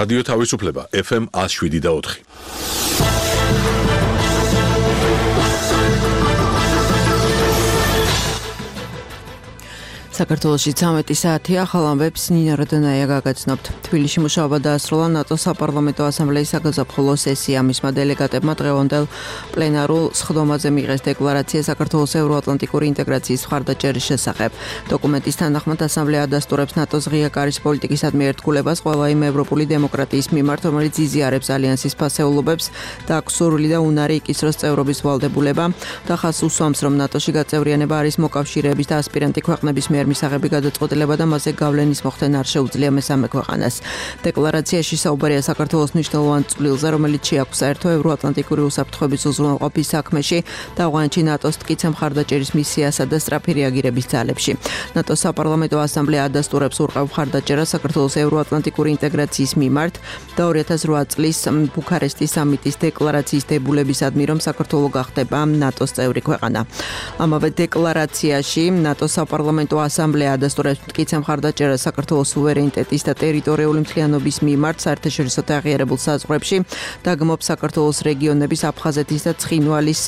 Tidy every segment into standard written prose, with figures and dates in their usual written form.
რადიო თავისუფლება FM 107.4. საქართველოში 13 საათია, ახალ ამბებს ნინა როდონაია გაგაცნობთ. თბილისში მუშაობა დაასრულა ნატოს საპარლამენტო ასამბლეის საგაზაფხულო სესია. მისმა დელეგატებმა დღევანდელ პლენარულ სხდომაზე მიიღეს დეკლარაცია საქართველოს ევროატლანტიკური ინტეგრაციის მხარდაჭერის შესახებ. დოკუმენტის თანახმად ასამბლეა ადასტურებს ნატოს ღია კარის პოლიტიკისადმი ერთგულებას ყველა იმ ევროპული დემოკრატიის მიმართ, რომელიც იზიარებს ალიანსის ფასეულობებს და აქვს სურვილი და უნარი იკისროს წევრობის ვალდებულება და ხაზს უსვამს, რომ ნატოში გაწევრიანება არის მოკავშირეების და ასპირანტი ქვეყნების მიერ მისაღები გადაწყვეტილება და მასზე გავლენის მოხდენა არ შეუძლია მესამე ქვეყანას. დეკლარაციაში საუბარია საქართველოს მნიშვნელოვან წვლილზე, რომელიც შეაქვს საერთო ევროატლანტიკური უსაფრთხოების უზრუნველყოფის საქმეში და ავღანეთში ნატოს მტკიცე მხარდაჭერის მისიასა და სწრაფი რეაგირების ძალებში. ნატოს საპარლამენტო ასამბლეა ადასტურებს ურყევ მხარდაჭერას საქართველოს ევროატლანტიკური ინტეგრაციის მიმართ და 2008 წლის ბუქარესტის სამიტის დეკლარაციის დებულებისადმი, რომ საქართველო გახდება ნატოს წევრი ქვეყანა. ამავე დეკლარაციაში ნატოს საპარლამენტო ასამბლეა ადასტურებს მტკიცე მხარდაჭერას საქართველოს სუვერენიტეტის და ტერიტორიული მთლიანობის მიმართ საერთაშორისო და აღიარებულ საზღვრებში და გმობს საქართველოს რეგიონების აფხაზეთის და ცხინვალის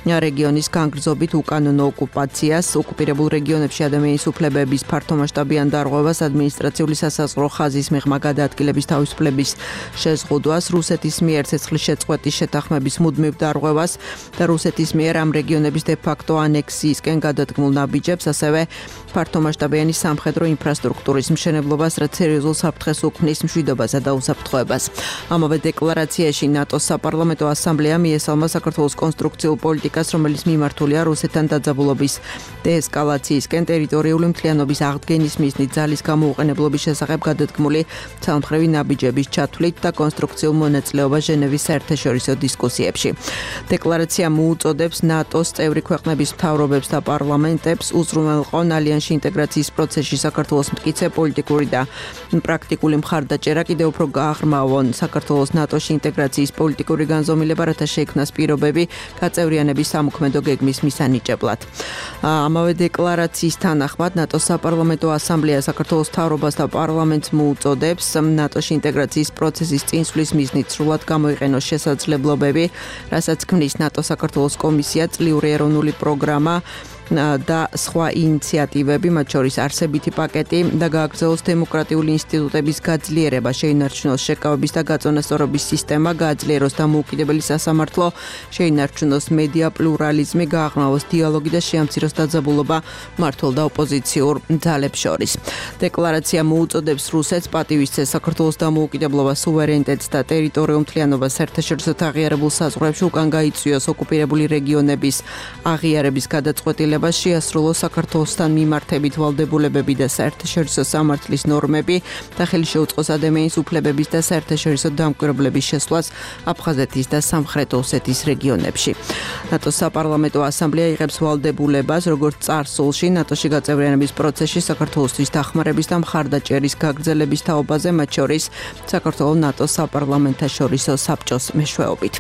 რეგიონის განგრძობით უკანონო ოკუპაციას, ოკუპირებულ რეგიონებში ადამიანის უფლებების ფართომასშტაბიან დარღვევას, ადმინისტრაციული სასაზღვრო ხაზის მიღმა გადაადგილების თავისუფლების შეზღუდვას, რუსეთის მიერ ცეცხლის შეწყვეტის შეთანხმების მუდმივ დარღვევას და რუსეთის მიერ ამ რეგიონების დე-ფაქტო ანექსიისკენ გადადგმულ ნაბიჯებს, ასევე ფართომასშტაბიანი სამხედრო ინფრასტრუქტურის მშენებლობას, რაც სერიოზულ საფრთხეს უქმნის მშვიდობასა და უსაფრთხოებას. ამავე დეკლარაციაში ნატოს საპარლამენტო ასამბლეა მიესალმა საქართველოს კონსტრუქციულ პოლიტიკას, რომელიც მიმართულია რუსეთთან დაძაბულობის დეესკალაციისკენ, ტერიტორიული მთლიანობის აღდგენის მიზნით ძალის გამოუყენებლობის შესახებ გადადგმული ცალმხრივი ნაბიჯების ჩათვლით და კონსტრუქციულ მონაწილეობას ჟენევის საერთაშორისო დისკუსიებში. დეკლარაცია მოუწოდებს ნატოს წევრი ქვეყნების მთავრობებს და პარლამენტებს უზრუნველყონ ალიანსში ინტეგრაციის პროცესში საქართველოს მტკიცე პოლიტიკური და პრაქტიკული მხარდაჭერა, კიდევ უფრო გააღრმავონ საქართველოს ნატოში ინტეგრაციის პოლიტიკური განზომილება, რათა შეიქმნას პირობები გაწევრიანების სამოქმედო გეგმის მისანიჭებლად. ამავე დეკლარაციის თანახმად ნატოს საპარლამენტო ასამბლეა საქართველოს მთავრობას და პარლამენტს მოუწოდებს ნატოში ინტეგრაციის პროცესის წინსვლის მიზნით სრულად გამოიყენოს შესაძლებლობები, რასაც ქმნის ნატოს საქართველოს კომისია, წლიური ეროვნული პროგრამა და სხვა ინიციატივები, მათ შორის არსებითი პაკეტი და გააგრძელოს დემოკრატიული ინსტიტუტების გაძლიერება, შეინარჩუნოს შეკავების და გაწონასწორობის სისტემა, გააძლიეროს დამოუკიდებელი სასამართლო, შეინარჩუნოს მედია პლურალიზმი, გააღრმავოს დიალოგი და შეამციროს დაძაბულობა მმართველ და ოპოზიციურ ძალებს შორის. დეკლარაცია მოუწოდებს რუსეთს პატივისცეს საქართველოს დამოუკიდებლობას, სუვერენიტეტს და ტერიტორიულ მთლიანობას საერთაშორისო და აღიარებულ საზღვრებში უკან გაიწვიოს ოკუპირებული რეგიონების აღიარების გადაწყვეტილება, შეასრულოს საქართველოსთან მიმართებით ვალდებულებები და საერთაშორისო სამართლის ნორმები და ხელი შეუწყოს ადამიანის უფლებების და საერთაშორისო დამკვირვებლების შესვლას აფხაზეთის და სამხრეთ ოსეთის რეგიონებში. ნატოს საპარლამენტო ასამბლეა იღებს ვალდებულებას, როგორც წარსულში ნატოში გაწევრიანების პროცესში საქართველოსთვის დახმარების და მხარდაჭერის გაგრძელების თაობაზე, მათ შორის საქართველოს ნატოს საპარლამენტაშორისო საბჭოს მეშვეობით.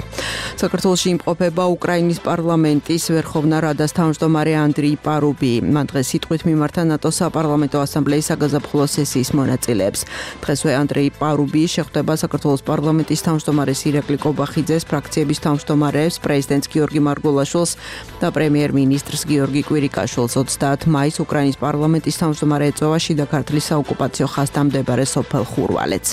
საქართველოში იმყოფება უკრაინის პარლამენტის ვერხოვნა რადას თავმჯდომარე ანდრეი პარუბი. მან დღეს სიტყვით მიმართა ნატოს საპარლამენტო ასამბლეის საგაზაფხულო სესიის მონაწილეებს. დღესვე ანდრეი პარუბი შეხვდება საქართველოს პარლამენტის თავმჯდომარეს ირაკლი კობახიძეს, ფრაქციების თავმჯდომარეებს, პრეზიდენტს გიორგი მარგულაშვილს და პრემიერ-მინისტრს გიორგი კვირიკაშვილს. 30 მაისს უკრაინის პარლამენტის თავმჯდომარე ეწვევა შიდა ქართლის საოკუპაციო ხაზთან მდებარე სოფელ ხურვალეთს.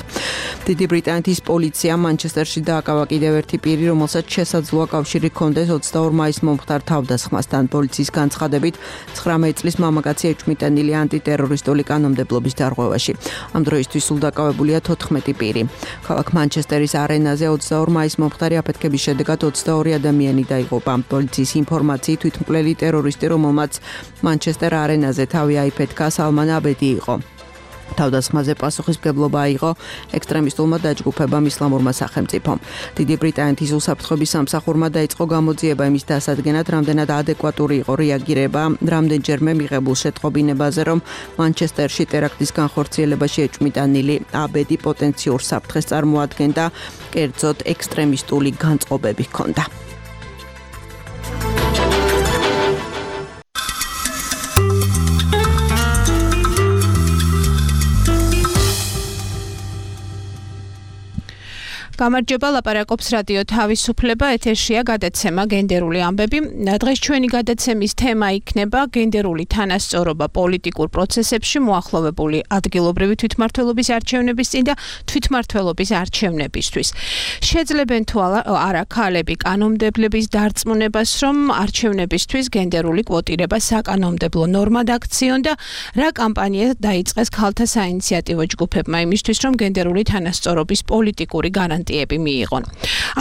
დიდი ბრიტანეთის პოლიციამ მანჩესტერში დააკავა კიდევ ერთი პირი, რომელსაც შესაძლოა კავშირი ჰქონდეს 22 მაისს მომხდარ თავდასხმასთან. პოლიციის განცხადებით 19 წლის მამაკაცი ეჭვმიტანილი ანტიტერორისტული კანონმდებლობის დარღვევაში. ამ დროისთვის სულ დაკავებულია 14 პირი. ქალაქ მანჩესტერის არენაზე 22 მაისს მომხდარი აფეთქების შედეგად 22 ადამიანი დაიღუპა. პოლიციის ინფორმაციით თვითმკვლელი ტერორისტი, რომელმაც მანჩესტერ არენაზე თავი აიფეთქა, სალმან აბედი იყო. თავდასხმაზე პასუხისმგებლობა აიღო ექსტრემისტულმა დაჯგუფებამ ისლამურმა სახელმწიფომ. დიდი ბრიტანეთის უსაფრთხოების სამსახურმა დაიწყო გამოძიება იმის დასადგენად, რამდენად ადეკვატური იყო რეაგირება რამდენჯერმე მიღებულ შეტყობინებაზე, რომ მანჩესტერში ტერაქტის განხორციელებაში ეჭვმიტანილი აბედი პოტენციურ საფრთხეს წარმოადგენდა, კერძოდ ექსტრემისტული განწყობები ჰქონდა. გამარჯობა, ლაპარაკობს რადიო თავისუფლება, ეთერშია გადაცემა გენდერული ამბები. დღეს ჩვენი გადაცემის თემა იქნება გენდერული თანასწორობა პოლიტიკურ პროცესებში, მოახლოვებული ადგილობრივი თვითმმართველობის არჩევნების წინ და თვითმმართველობის არჩევნებისთვის. შეძლებენ თუ არა ქალები კანონმდებლების დარწმუნებას, რომ არჩევნებისთვის გენდერული კვოტირება საკანონმდებლო ნორმად აქციონ და რა კამპანია დაიწყეს ქალთა საინიციატივო ჯგუფებმა იმისთვის, რომ გენდერული თანასწორობის პოლიტიკური გარანტიები მიიღონ.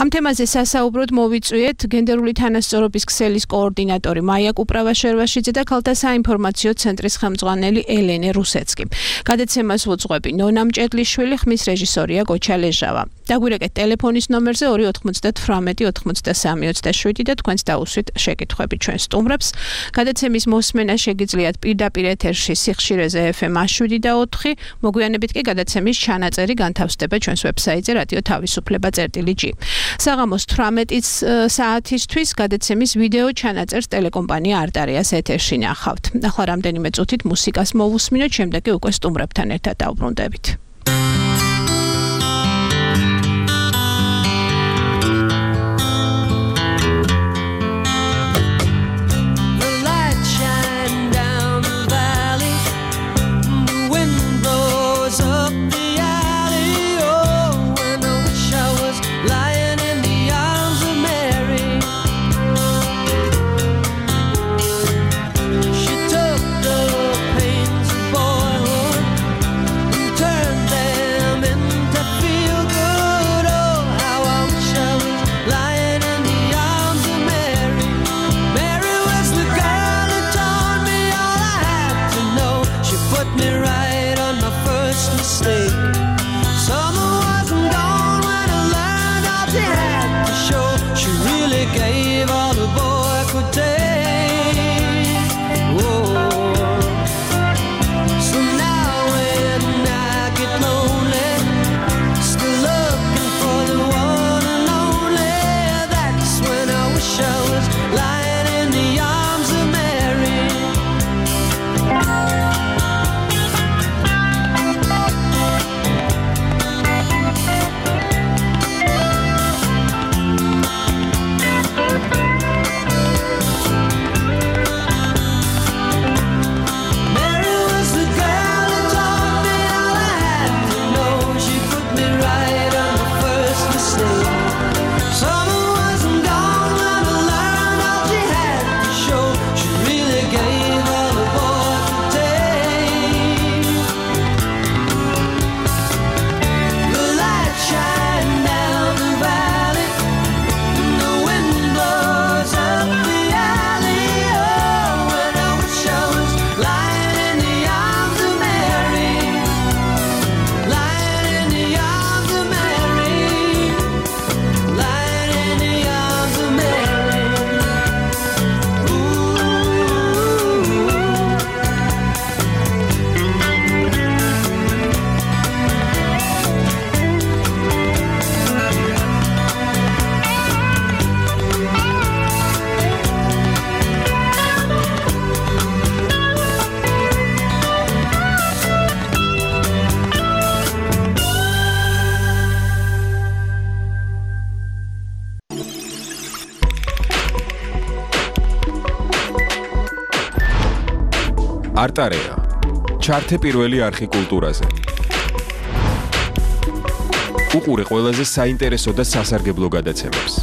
ამ თემაზე სასაუბროდ მოვიწვიეთ გენდერული თანასწორობის ქსელის კოორდინატორი მაია კუპრავაშერვაშიძე და ქალთა საინფორმაციო ცენტრის ხელმძღვანელი ელენე რუსეცკი. გადაცემას უძღვები ნონა მჭედლიშვილი, ხმის რეჟისორია გოჩა ლეჟავა. დაგვირეკეთ ტელეფონის ნომერზე 298-93-27 და თქვენს დაუსვით შეკითხვები ჩვენ სტუმრებს. გადაცემის მოსმენა შეგიძლიათ პირდაპირ ეთერში სიხშირეზე FM 7 და 4. მოგვიანებით კი გადაცემის ჩანაწერი განთავსდება ჩვენს ვებსაიტზე რადიო თავისუფლება.g. საღამოს 18 საათისთვის გადაცემის ვიდეო ჩანაწერს ტელეკომპანია არტარიას ეთერში ნახავთ. ახლა რამდენიმე წუთით მუსიკას მოვუსმინოთ, შემდეგ კი უკვე სტუმრებთან ერთად დავბრუნდებით. არტარია. ჩართე პირველი არხი კულტურაზე. უყურე ყველაზე საინტერესო და სასარგებლო გადაცემებს.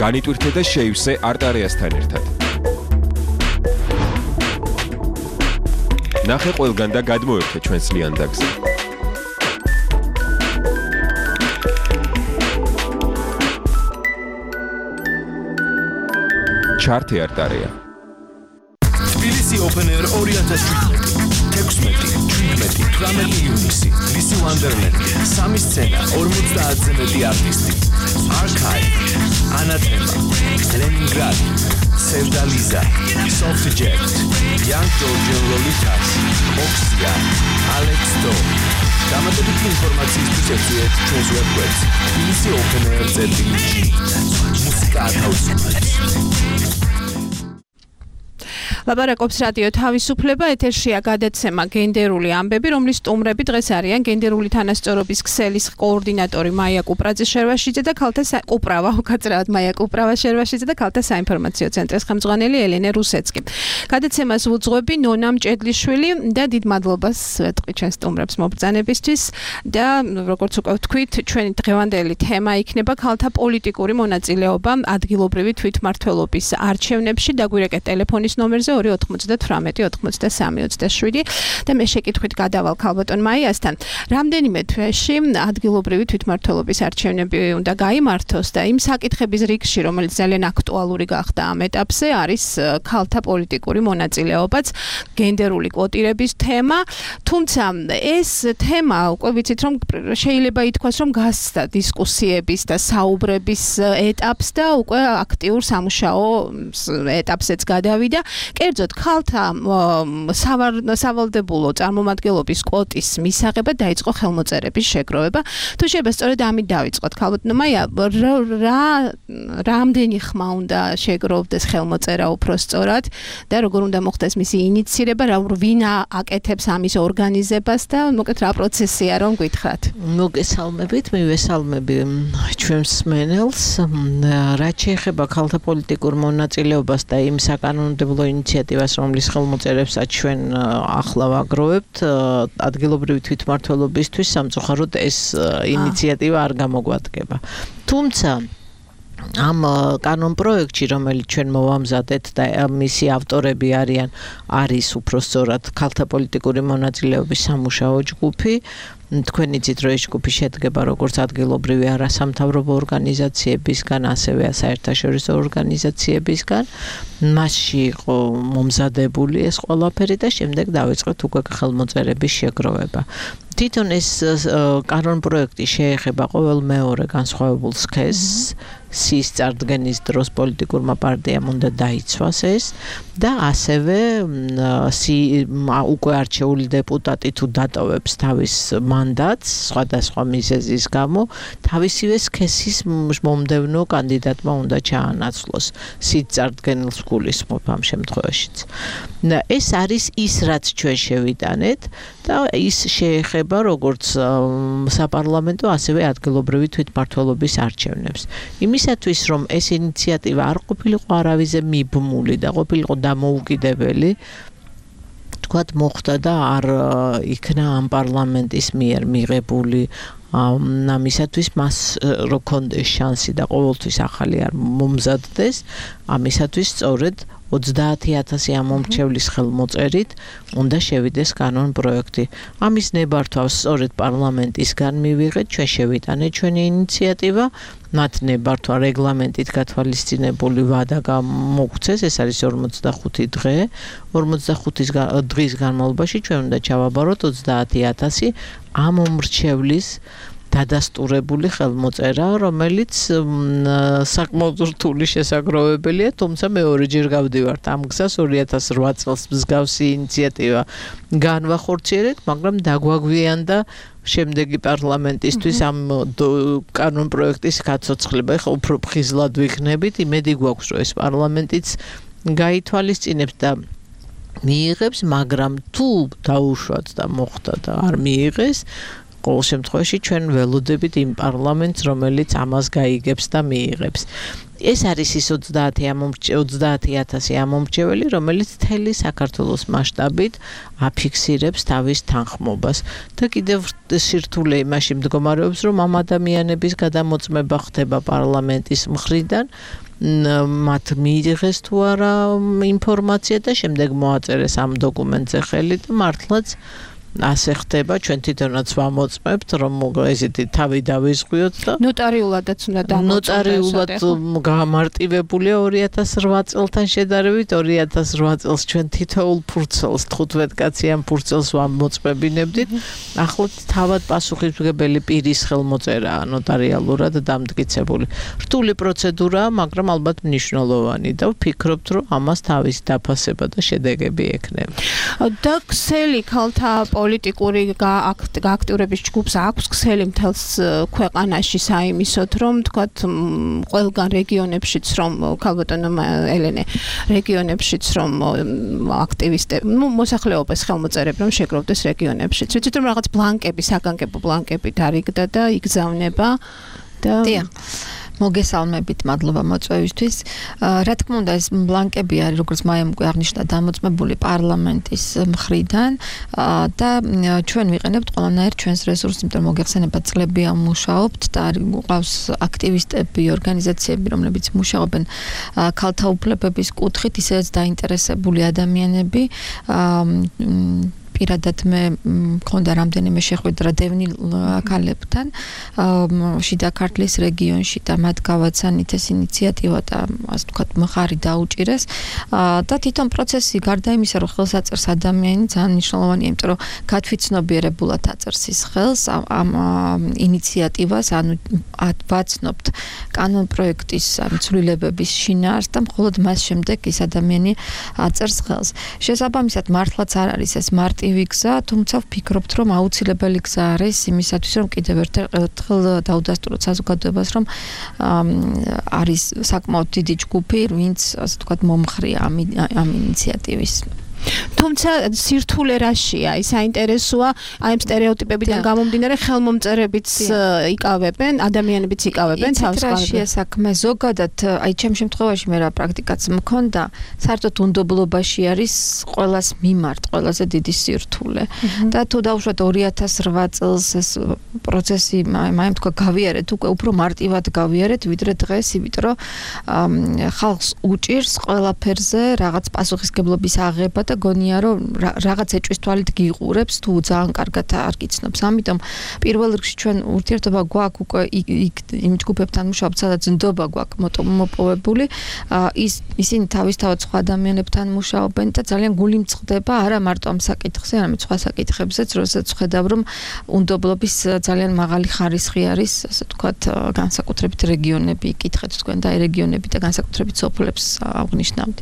განიტვირთე და შეივსე არტარიასთან ერთად. ნახე ყველგან და გადმოერთე ჩვენს ლიანდაგზე. ჩართე არტარია. თბილისი Open Air 2017. 16-17 ივნისი. ლისი ვანდერლენდი. 3 სცენა, 50-ზე მეტი არტისტი. Archive, Anathema, Leningrad, Sevdaliza, Soft Jet, Young Georgian Lolitas, Oxia, Alex Do. დამატებითი ინფორმაციისთვის ეწვიეთ ჩვენს ვებგვერდს tbilisi.openair.g. მუსიკა თავისუფლად. ლაპარაკობს რადიო თავისუფლება, ეთერშია გადაცემა გენდერული ამბები, რომლის სტუმრები დღეს არიან გენდერული თანასწორობის ქსელის კოორდინატორი მაია კუპრაძე-შერვაშიძე და ქალთა მაია კუპრავა-შერვაშიძე და ქალთა საინფორმაციო ცენტრის ხელმძღვანელი ელენე რუსეცკი. გადაცემას უძღვები ნონა მჭედლიშვილი და დიდ მადლობას ვეთყი ჩვენს სტუმრებს მობრძანებისთვის და როგორც უკვე ვთქვით, ჩვენი დღევანდელი თემა იქნება ქალთა პოლიტიკური მონაწილეობა ადგილობრივი თვითმმართველობის არჩევნებში. დაგვირეკეთ ტელეფონის ნომერზე 298-93-27 და მე შეკითხვით გადავალ ქალბატონ მაიასთან. რამდენიმე თვეში ადგილობრივი თვითმმართველობის არჩევნები უნდა გაიმართოს და იმ საკითხების რიგში, რომელიც ძალიან აქტუალური გახდა ამ ეტაპზე, არის ქალთა პოლიტიკური მონაწილეობაც, გენდერული კვოტირების თემა. თუმცა ეს თემა უკვე ვიცით, რომ შეიძლება ითქვას, რომ გასცდა დისკუსიების და საუბრების ეტაპს და უკვე აქტიურ სამუშაო ეტაპზეც გადავიდა. კერძოდ ქალთა სავალდებულო წარმომადგენლობის კვოტის მისაღებად დაიწყო ხელმოწერების შეგროვება. თუ შეიძლება სწორედ ამით დავიწყოთ, ქალბატონო მაია, რამდენი ხმა უნდა შეგროვდეს ხელმოწერა უფრო სწორად და როგორ უნდა მოხდეს მისი ინიციირება, ვინ აკეთებს ამის ორგანიზებას და მოკლედ რა პროცესია რომ გითხრათ. მოგესალმებით, მივესალმები ჩვენს მსმენელს. რაც შეეხება ქალთა პოლიტიკურ მონაწილეობას და იმ საკანონმდებლო ინიციატივას, რომლის ხელმოწერებსაც ჩვენ ახლა ვაგროვებთ, ადგილობრივი თვითმმართველობისთვის სამწუხაროდ ეს ინიციატივა არ გამოგვადგება. თუმცა ამ კანონპროექტში, რომელიც ჩვენ მოვამზადეთ და მისი ავტორები არის უფრო სწორად ქალთა პოლიტიკური მონაწილეობის სამუშაო ჯგუფი. თქვენ იცით, რომ ეს ჯგუფი შედგება როგორც ადგილობრივი არასამთავრობო ორგანიზაციებისგან, ასევე საერთაშორისო ორგანიზაციებისგან. მასში იყო მომზადებული ეს ყველაფერი და შემდეგ დავიწყეთ უკვე ხელმოწერების შეგროვება. თვითონ ეს კანონპროექტი შეეხება ყოველ მეორე განსხვავებულ სქესს. სის წარდგენის დროს პოლიტიკურმა პარტიამ უნდა დაიცვას ეს და ასევე უკვე არჩეული დეპუტატი თუ დატოვებს თავის მანდატს სხვადასხვა მიზეზის გამო, თავისივე სქესის მომდევნო კანდიდატმა უნდა ჩაანაცვლოს. სის წარდგენილს გულისხმობ ამ შემთხვევაშიც. ეს არის ის, რაც ჩვენ შევიტანეთ და ის შეეხება როგორც საპარლამენტო, ასევე ადგილობრივი თვითმმართველობის არჩევნებს. იმისათვის, რომ ეს ინიციატივა არ ყოფილიყო არავიზე მიბმული და ყოფილიყო დამოუკიდებელი, თქვათ მოხდა და არ იქნა ამ პარლამენტის მიერ მიღებული ამისათვის მას რო ქონდეს შანსი და ყოველთვის ახალი არ მომზადდეს, ამისათვის სწორედ 30,000 ამომრჩევლის ხელმოწერით უნდა შევიდეს კანონპროექტი. ამის ნებართვას სწორედ პარლამენტისგან მივიღეთ, ჩვენ შევიტანეთ ჩვენი ინიციატივა, მათ ნებართვა რეგლამენტით გათვალისწინებული ვადა მოგვცეს, ეს არის 45 დღე. 45 დღის განმავლობაში ჩვენ უნდა ჩავაბაროთ 30,000 ამომრჩევლის დადასტურებული ხელმოწერა, რომელიც საკმაოდ რთული შესაგროვებელია, თუმცა მეორეჯერ გავდივართ ამ გზას. 2008 წელს მსგავსი ინიციატივა განვახორციელეთ, მაგრამ დაგვაგვიანდა შემდეგი პარლამენტისთვის ამ კანონპროექტის გაცოცხლება. ეხლა უფრო ფხიზლად ვიქნებით, იმედი გვაქვს, რომ ეს პარლამენტიც გაითვალისწინებს და მიიღებს, მაგრამ თუ დაუშვათ და მოხდა და არ მიიღეს, ყოველ შემთხვევაში ჩვენ ველოდებით იმ პარლამენტს, რომელიც ამას გაიგებს და მიიღებს. ეს არის ის 30,000 ამომრჩეველი, რომელიც მთელი საქართველოს მასშტაბით აფიქსირებს თავის თანხმობას. და კიდევ სირთულე იმაში მდგომარეობს, რომ ამ ადამიანების გადამოწმება ხდება პარლამენტის მხრიდან, მათ მიიღეს თუ არა ინფორმაცია და შემდეგ მოაწერეს ამ დოკუმენტზე ხელი და მართლაც ასე ხდება, ჩვენ თვითონაც ვამოწმებთ, რომ ესეთი თავი დავიზღვიოთ და ნოტარიულადაც უნდა დამოწმდეს. ნოტარიულად გამარტივებულია 2008 წელთან შედარებით. 2008 წელს ჩვენ თითოეულ ფურცელს 15 კაციან ფურცელს ვამოწმებინებდით. ახლა თავად პასუხისმგებელი პირის ხელმოწერაა ნოტარიალურად დამტკიცებული. რთული პროცედურაა, მაგრამ ალბათ მნიშვნელოვანი და ვფიქრობთ, რომ ამას თავის დაფასება და შედეგები ექნება. და ქსელი ქალთა პოლიტიკური გააქტიურების ჯგუფს აქვს ქსელი მთელს ქვეყანაში საიმისოდ, რომ თქვათ ყველგან რეგიონებშიც რომ ქალბატონო ელენე რეგიონებშიც რომ აქტივისტები, მოსახლეობას ხელმოწერები რომ შეგროვდეს რეგიონებშიც. ვიცით რომ რაღაც ბლანკები, საგანგებო ბლანკები დარიგდა და იგზავნება და მოგესალმებით, მადლობა მოწვევისთვის. Რა თქმა უნდა, ეს ბლანკები არის, როგორც მაიამ უკვე აღნიშნა, დამოწმებული პარლამენტის მხრიდან და ჩვენ ვიყენებთ ყველანაირ ჩვენს რესურსს, იმიტომ რომ მოგეხსენებათ, წლები ამუშაობთ და ყავს აქტივისტები, ორგანიზაციები, რომლებიც მუშაობენ ქალთა უფლებების კუთხით, ისედაც დაინტერესებული ადამიანები. პირადად მე მქონდა რამდენიმე შეხვედრა დევნილ ქალებთან შიდა ქართლის რეგიონში და მათ გავაცანით ეს ინიციატივა და ასე ვთქვათ მხარი დაუჭირეს და თვითონ პროცესი გარდა იმისა რომ ხელს აწერს ადამიანი ძალიან მნიშვნელოვანია იმიტომ რომ გათვითცნობიერებულად აწერს ის ხელს ამ ინიციატივას ანუ ვაცნობთ კანონპროექტის ცვლილებების შინაარსს და მხოლოდ მას შემდეგ ის ადამიანი აწერს ხელს შესაბამისად მართლაც არ არის ეს მარტივი გზა, თუმცა ვფიქრობთ, რომ აუცილებელი გზა არის იმისათვის, რომ კიდევ ერთხელ დაუდასტუროთ საზოგადოებას, რომ არის საკმაოდ დიდი ჯგუფი, ვინც ასე ვთქვათ მომხრია ამ ინიციატივის. თუმცა სირთულე რაშია? ის საინტერესოა, აი ამ სტერეოტიპებიდან გამომდინარე ხელმომწერებიც იკავებენ, ადამიანებიც იკავებენ თავს რაშია საქმე ზოგადად, აი ჩემ შემთხვევაში მე რა პრაქტიკაც მქონდა, საერთოდ უნდობლობაში არის ყოველას მიმართ, ყველაზე დიდი სირთულე. და თუ დავუშვათ 2008 წელს ეს პროცესი მაიმ თქვა გავიარეთ, უკვე უფრო მარტივად გავიარეთ, ვიდრე დღეს, იმიტომ რომ ხალხს უჭირს ყველაფერზე რაღაც პასუხისგებლობის აღება და გონია რომ რაღაც ეჭვის თვალით გიყურებს თუ ძალიან კარგად არ გიცნობს. ამიტომ პირველ რიგში ჩვენ ურთიერთობა გვაქვს უკვე იმ ჯგუფებთან მუშაობთ, სადაც ნდობა გვაქვს მოპოვებული. ისინი თავისთავად სხვა ადამიანებთან მუშაობენ და ძალიან გული მწყდება არა მარტო ამ საკითხზე, არამედ სხვა საკითხებზეც, როდესაც ხედავ რომ უნდობლობის ძალიან მაღალი ხარისხი არის, ასე ვთქვათ, განსაკუთრებით რეგიონები იკითხეთ თქვენ და რეგიონები და განსაკუთრებით სოფლებს აღნიშნავთ.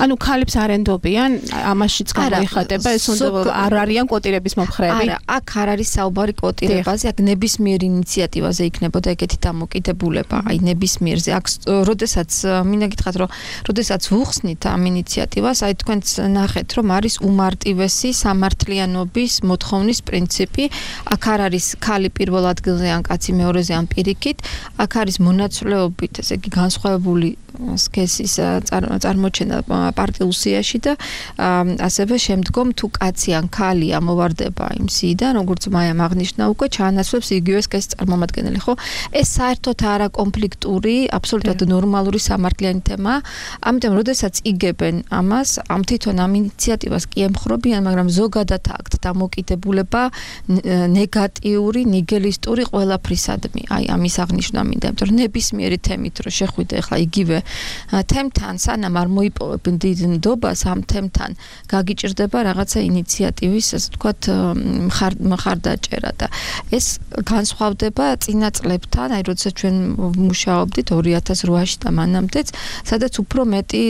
ანუ ქალებს არ ენდობიან ამაშიც გამოიხატება ეს უნდა არ არიან კვოტირების მომხრეები. არა, აქ არ არის საუბარი კვოტირებაზე, აქ ნებისმიერ ინიციატივაზე იქნებოდა ეგეთი დამოკიდებულება, აი ნებისმიერზე. აქ როდესაც მინდა გითხრათ, რომ როდესაც ვუხსნით ამ ინიციატივას, აი თქვენც ნახეთ, რომ არის უმარტივესი სამართლიანობის მოთხოვნის პრინციპი. აქ არ არის ქალი პირველ ადგილზე ან კაცი მეორეზე ან პირიქით, აქ არის მონაცვლეობით, ესე იგი განსხვავებული სქესის წარმოჩენა პარტიულ სიაში და ასევე შემდგომ თუ კაცი ან ქალი ამოვარდება იმ სიიდან, როგორც მაიამ აღნიშნა უკვე ჩაანაცვლებს იგივე სქესის წარმომადგენელი, ხო? ეს საერთოდ არა კონფლიქტური, აბსოლუტურად ნორმალური სამართლიანი თემაა. ამიტომ როდესაც იგებენ ამას, ამ თვითონ ამ ინიციატივას კი ემხრობიან, მაგრამ ზოგადად აქვთ დამოკიდებულება ნეგატიური, ნიგილისტური ყველაფრისადმი. აი ამის აღნიშნა მინდა, იმიტომ რომ ნებისმიერი თემით რო შეხვიდე ახლა იგივე თემთან, სანამ არ მოიპოვებენ დიდ ნდობას ამ თემთან გაგიჭირდება რაღაცა ინიციატივის, ასე ვთქვათ, მხარდაჭერა და ეს განსხვავდება წინა წლებთან, აი როდესაც ჩვენ მუშაობდით 2008-ში და მანამდეც, სადაც უფრო მეტი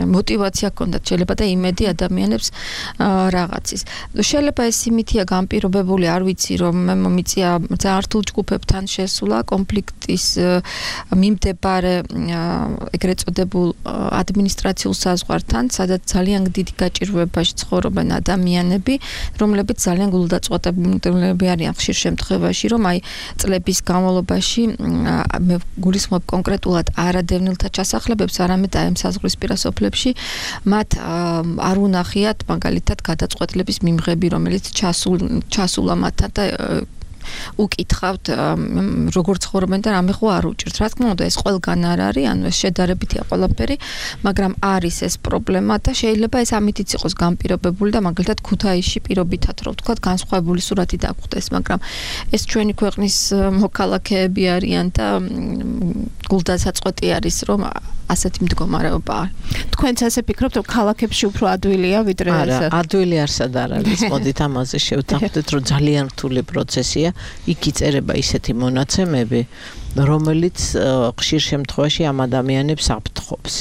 мотиваცია ჰქონდათ, შეიძლება და იმედი ადამიანებს რაღაცის. შეიძლება ეს იმითია განპირობებული, არ ვიცი, რომ მე მომიწია ძალიან რთულ ჯგუფებთან შესულა კონფლიქტის მიმდებარე ეგრეთ წოდებულ ადმინისტრაციულ საზღვართან, სადაც ძალიან დიდი გაჭირვებაში ცხოვრობენ ადამიანები, რომლებიც ძალიან გულდაწყვეტილები არიან ხშირ შემთხვევაში, რომ აი წლების განმავლობაში მე გულისხმობ კონკრეტულად არადევნილთა ჩასახლებებს, არამედ აი ამ საზღვრისპირა სოფლებში მათ არ უნახიათ მაგალითად გადაწყვეტილების მიმღები, რომელიც ჩასულა მათთან და უკითხავთ როგორ ცხოვრობენ და რამე ხო არ უჭირთ. რა თქმა უნდა ეს ყველგან არ არის, ანუ ეს შედარებითია ყველაფერი, მაგრამ არის ეს პრობლემა და შეიძლება ეს ამითიც იყოს განპირობებული და მაგალითად ქუთაისში პირობითად რომ ვთქვათ განსხვავებული სურათი დაგვხდეს, მაგრამ ეს ჩვენი ქვეყნის მოქალაქეები არიან და გულდასაწყვეტი არის რომ ასეთი მდგომარეობაა. თქვენც ასე ფიქრობთ რომ ქალაქებში უფრო ადვილია ვიდრე არა, ადვილი არსად არ არის. მოდით ამაზე შევთანხმდეთ რომ ძალიან რთული პროცესია. იქ იწერება ისეთი მონაცემები, რომელიც ხშირ შემთხვევაში ამ ადამიანებს აფრთხო ამბობს.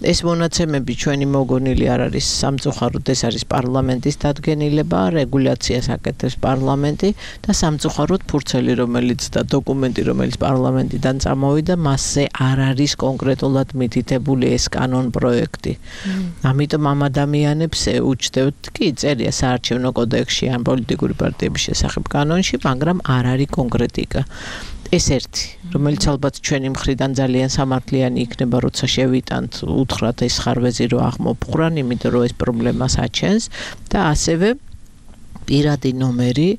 ეს მონაცემები ჩვენი მოგონილი არ არის სამწუხაროდ, ეს არის პარლამენტის დადგენილება, რეგულაციას აკეთებს პარლამენტი და სამწუხაროდ ფურცელი, რომელიც და დოკუმენტი, რომელიც პარლამენტიდან წამოვიდა, მასზე არ არის კონკრეტულად მითითებული ეს კანონ პროექტი. ამიტომ ამ ადამიანებს უჩნდებთ კი წერია საარჩევნო კოდექსში ან პოლიტიკური პარტიების შესახებ კანონში, მაგრამ არ არის კონკრეტიკა. ეს ერთი, რომელიც ალბათ ჩვენი მხრიდან ძალიან სამართლიანი იქნება, როცა შევიტანთ, უთხრათ ეს ხარვეზი რო აღმოფხვრან, იმიტომ რომ ეს პრობლემას აჩენს და ასევე პირადი ნომერი,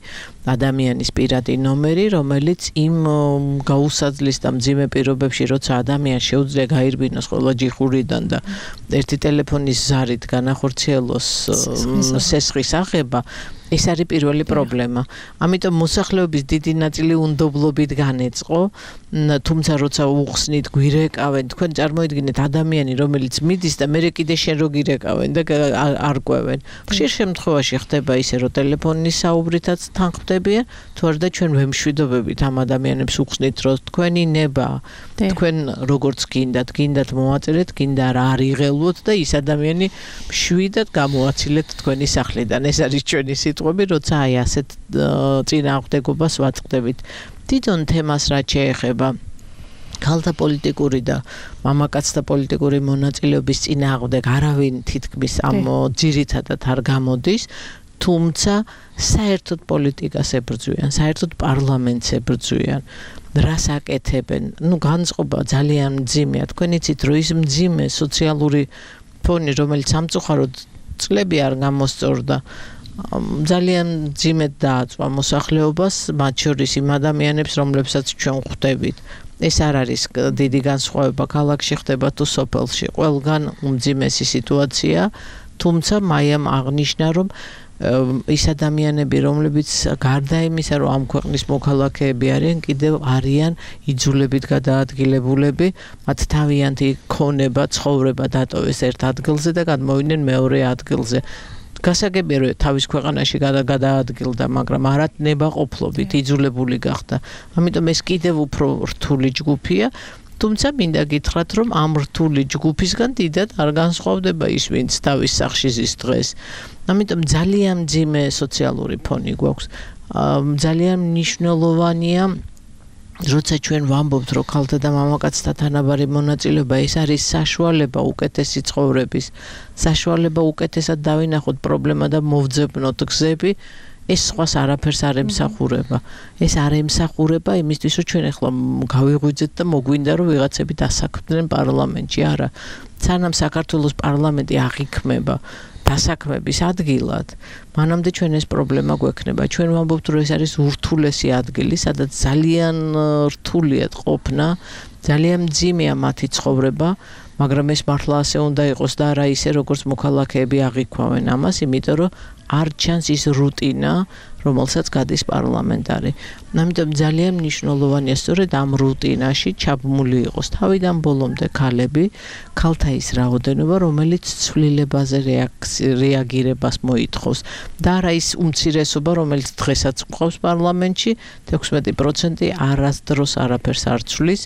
ადამიანის პირადი ნომერი, რომელიც იმ გაუსაძლის და მძიმე პირობებში, როცა ადამიანს შეუძლია გაირბინოს ყველა ჯიხურიდან და ერთი ტელეფონის ზარით განახორციელოს სესხის აღება, ეს არის პირველი პრობლემა. ამიტომ მოსახლეობის დიდი ნაწილი უნდობლობით განეწყო, თუმცა როცა უხსნით, გვირეკავენ, თქვენ წარმოიდგინეთ ადამიანი, რომელიც მიდის და მერე კიდე შენ რო გირეკავენ და არ ყვევენ. ხშირ შემთხვევაში ხდება ისე, რომ ტელეფონის საუბრითაც თანხმდებიან, თუ არა ჩვენ ვემშვიდობებით ამ ადამიანებს უხსნით, რომ თქვენი ნება, თქვენ როგორც გინდათ მოაწერეთ, გინდა რა არ იღელვოთ და ის ადამიანი მშვიდად გამოაცილეთ თქვენი სახლიდან. ეს არის ჩვენი სიტყვები, როცა აი ასეთ წინააღმდეგობას ვაწყდებით. თვითონ თემას რაც შეეხება ქალთა პოლიტიკური და მამაკაცთა პოლიტიკური მონაწილეობის წინააღმდეგ არავინ თითქმის ამ ძირითადად არ გამოდის, თუმცა საერთოდ პოლიტიკას ებრძვიან, საერთოდ პარლამენტს ებრძვიან. რას აკეთებენ? განწყობა ძალიან მძიმეა. თქვენ იცით, რომ ის მძიმე სოციალური ფონი, რომელიც სამწუხაროდ წლები არ გამოსწორდა, ძალიან მძიმედ დააწვა მოსახლეობას, მათ შორის იმ ადამიანებს, რომლებსაც ჩვენ ხვდებით. ეს არ არის დიდი განსხვავება ქალაქში ხდება თუ სოფელში. ყველგან უმძიმესი სიტუაცია, თუმცა მაიამ აღნიშნა, რომ ის ადამიანები, რომლებიც გარდა იმისა, რომ ამ ქვეყნის მოქალაქეები არიან, კიდევ არიან იძულებით გადაადგილებულები, მათ თავიანთი ქონება, ცხოვრება დატოვეს ერთ ადგილზე და გადმოვიდნენ მეორე ადგილზე. გასაგებია, რომ თავის ქვეყანაში გადაადგილდა, მაგრამ არა ნებაყოფლობით იძულებული გახდა. ამიტომ ეს კიდევ უფრო რთული ჯგუფია. თუმცა მინდა გითხრათ, რომ ამ რთული ჯგუფისგან დიდად არ განსხვავდება ის, ვინც თავის სახლში ზის დღეს. ამიტომ ძალიან მძიმე სოციალური ფონი გვაქვს. ძალიან მნიშვნელოვანია, როცა ჩვენ ვამბობთ, რომ ქალთა და მამაკაცთა თანაბარი მონაწილეობა ეს არის საშუალება უკეთესი ცხოვრების, საშუალება უკეთესად დავინახოთ პრობლემა და მოვძებნოთ გზები, ეს სხვას არაფერს არ ემსახურება. ეს არ ემსახურება იმისთვის, რომ ჩვენ ახლა გავიღვიძეთ და მოგვინდა, რომ ვიღაცები დასაქმდნენ პარლამენტში. არა, სანამ საქართველოს პარლამენტი აღიქმება დასაქმების ადგილად, მანამდე ჩვენ ეს პრობლემა გვექნება. ჩვენ ვამბობთ, რომ ეს არის ურთულესი ადგილი, სადაც ძალიან რთულია ყოფნა, ძალიან მძიმეა მათი ცხოვრება, მაგრამ ეს მართლა ასე უნდა იყოს და არა ისე, როგორც მოქალაქეები აღიქვამენ ამას, იმიტომ რომ არ ჩანს ის რუტინა, რომელსაც გადის პარლამენტარი. ამიტომ ძალიან მნიშვნელოვანია სწორედ ამ რუტინაში ჩაბმული იყოს თავიდან ბოლომდე ქალები, ქალთა ის რაოდენობა, რომელიც ცვლილებაზე რეაგირებას მოითხოვს და არა ის უმცირესობა, რომელიც დღესაც გვყავს პარლამენტში, 16% არასდროს არაფერს არ ცვლის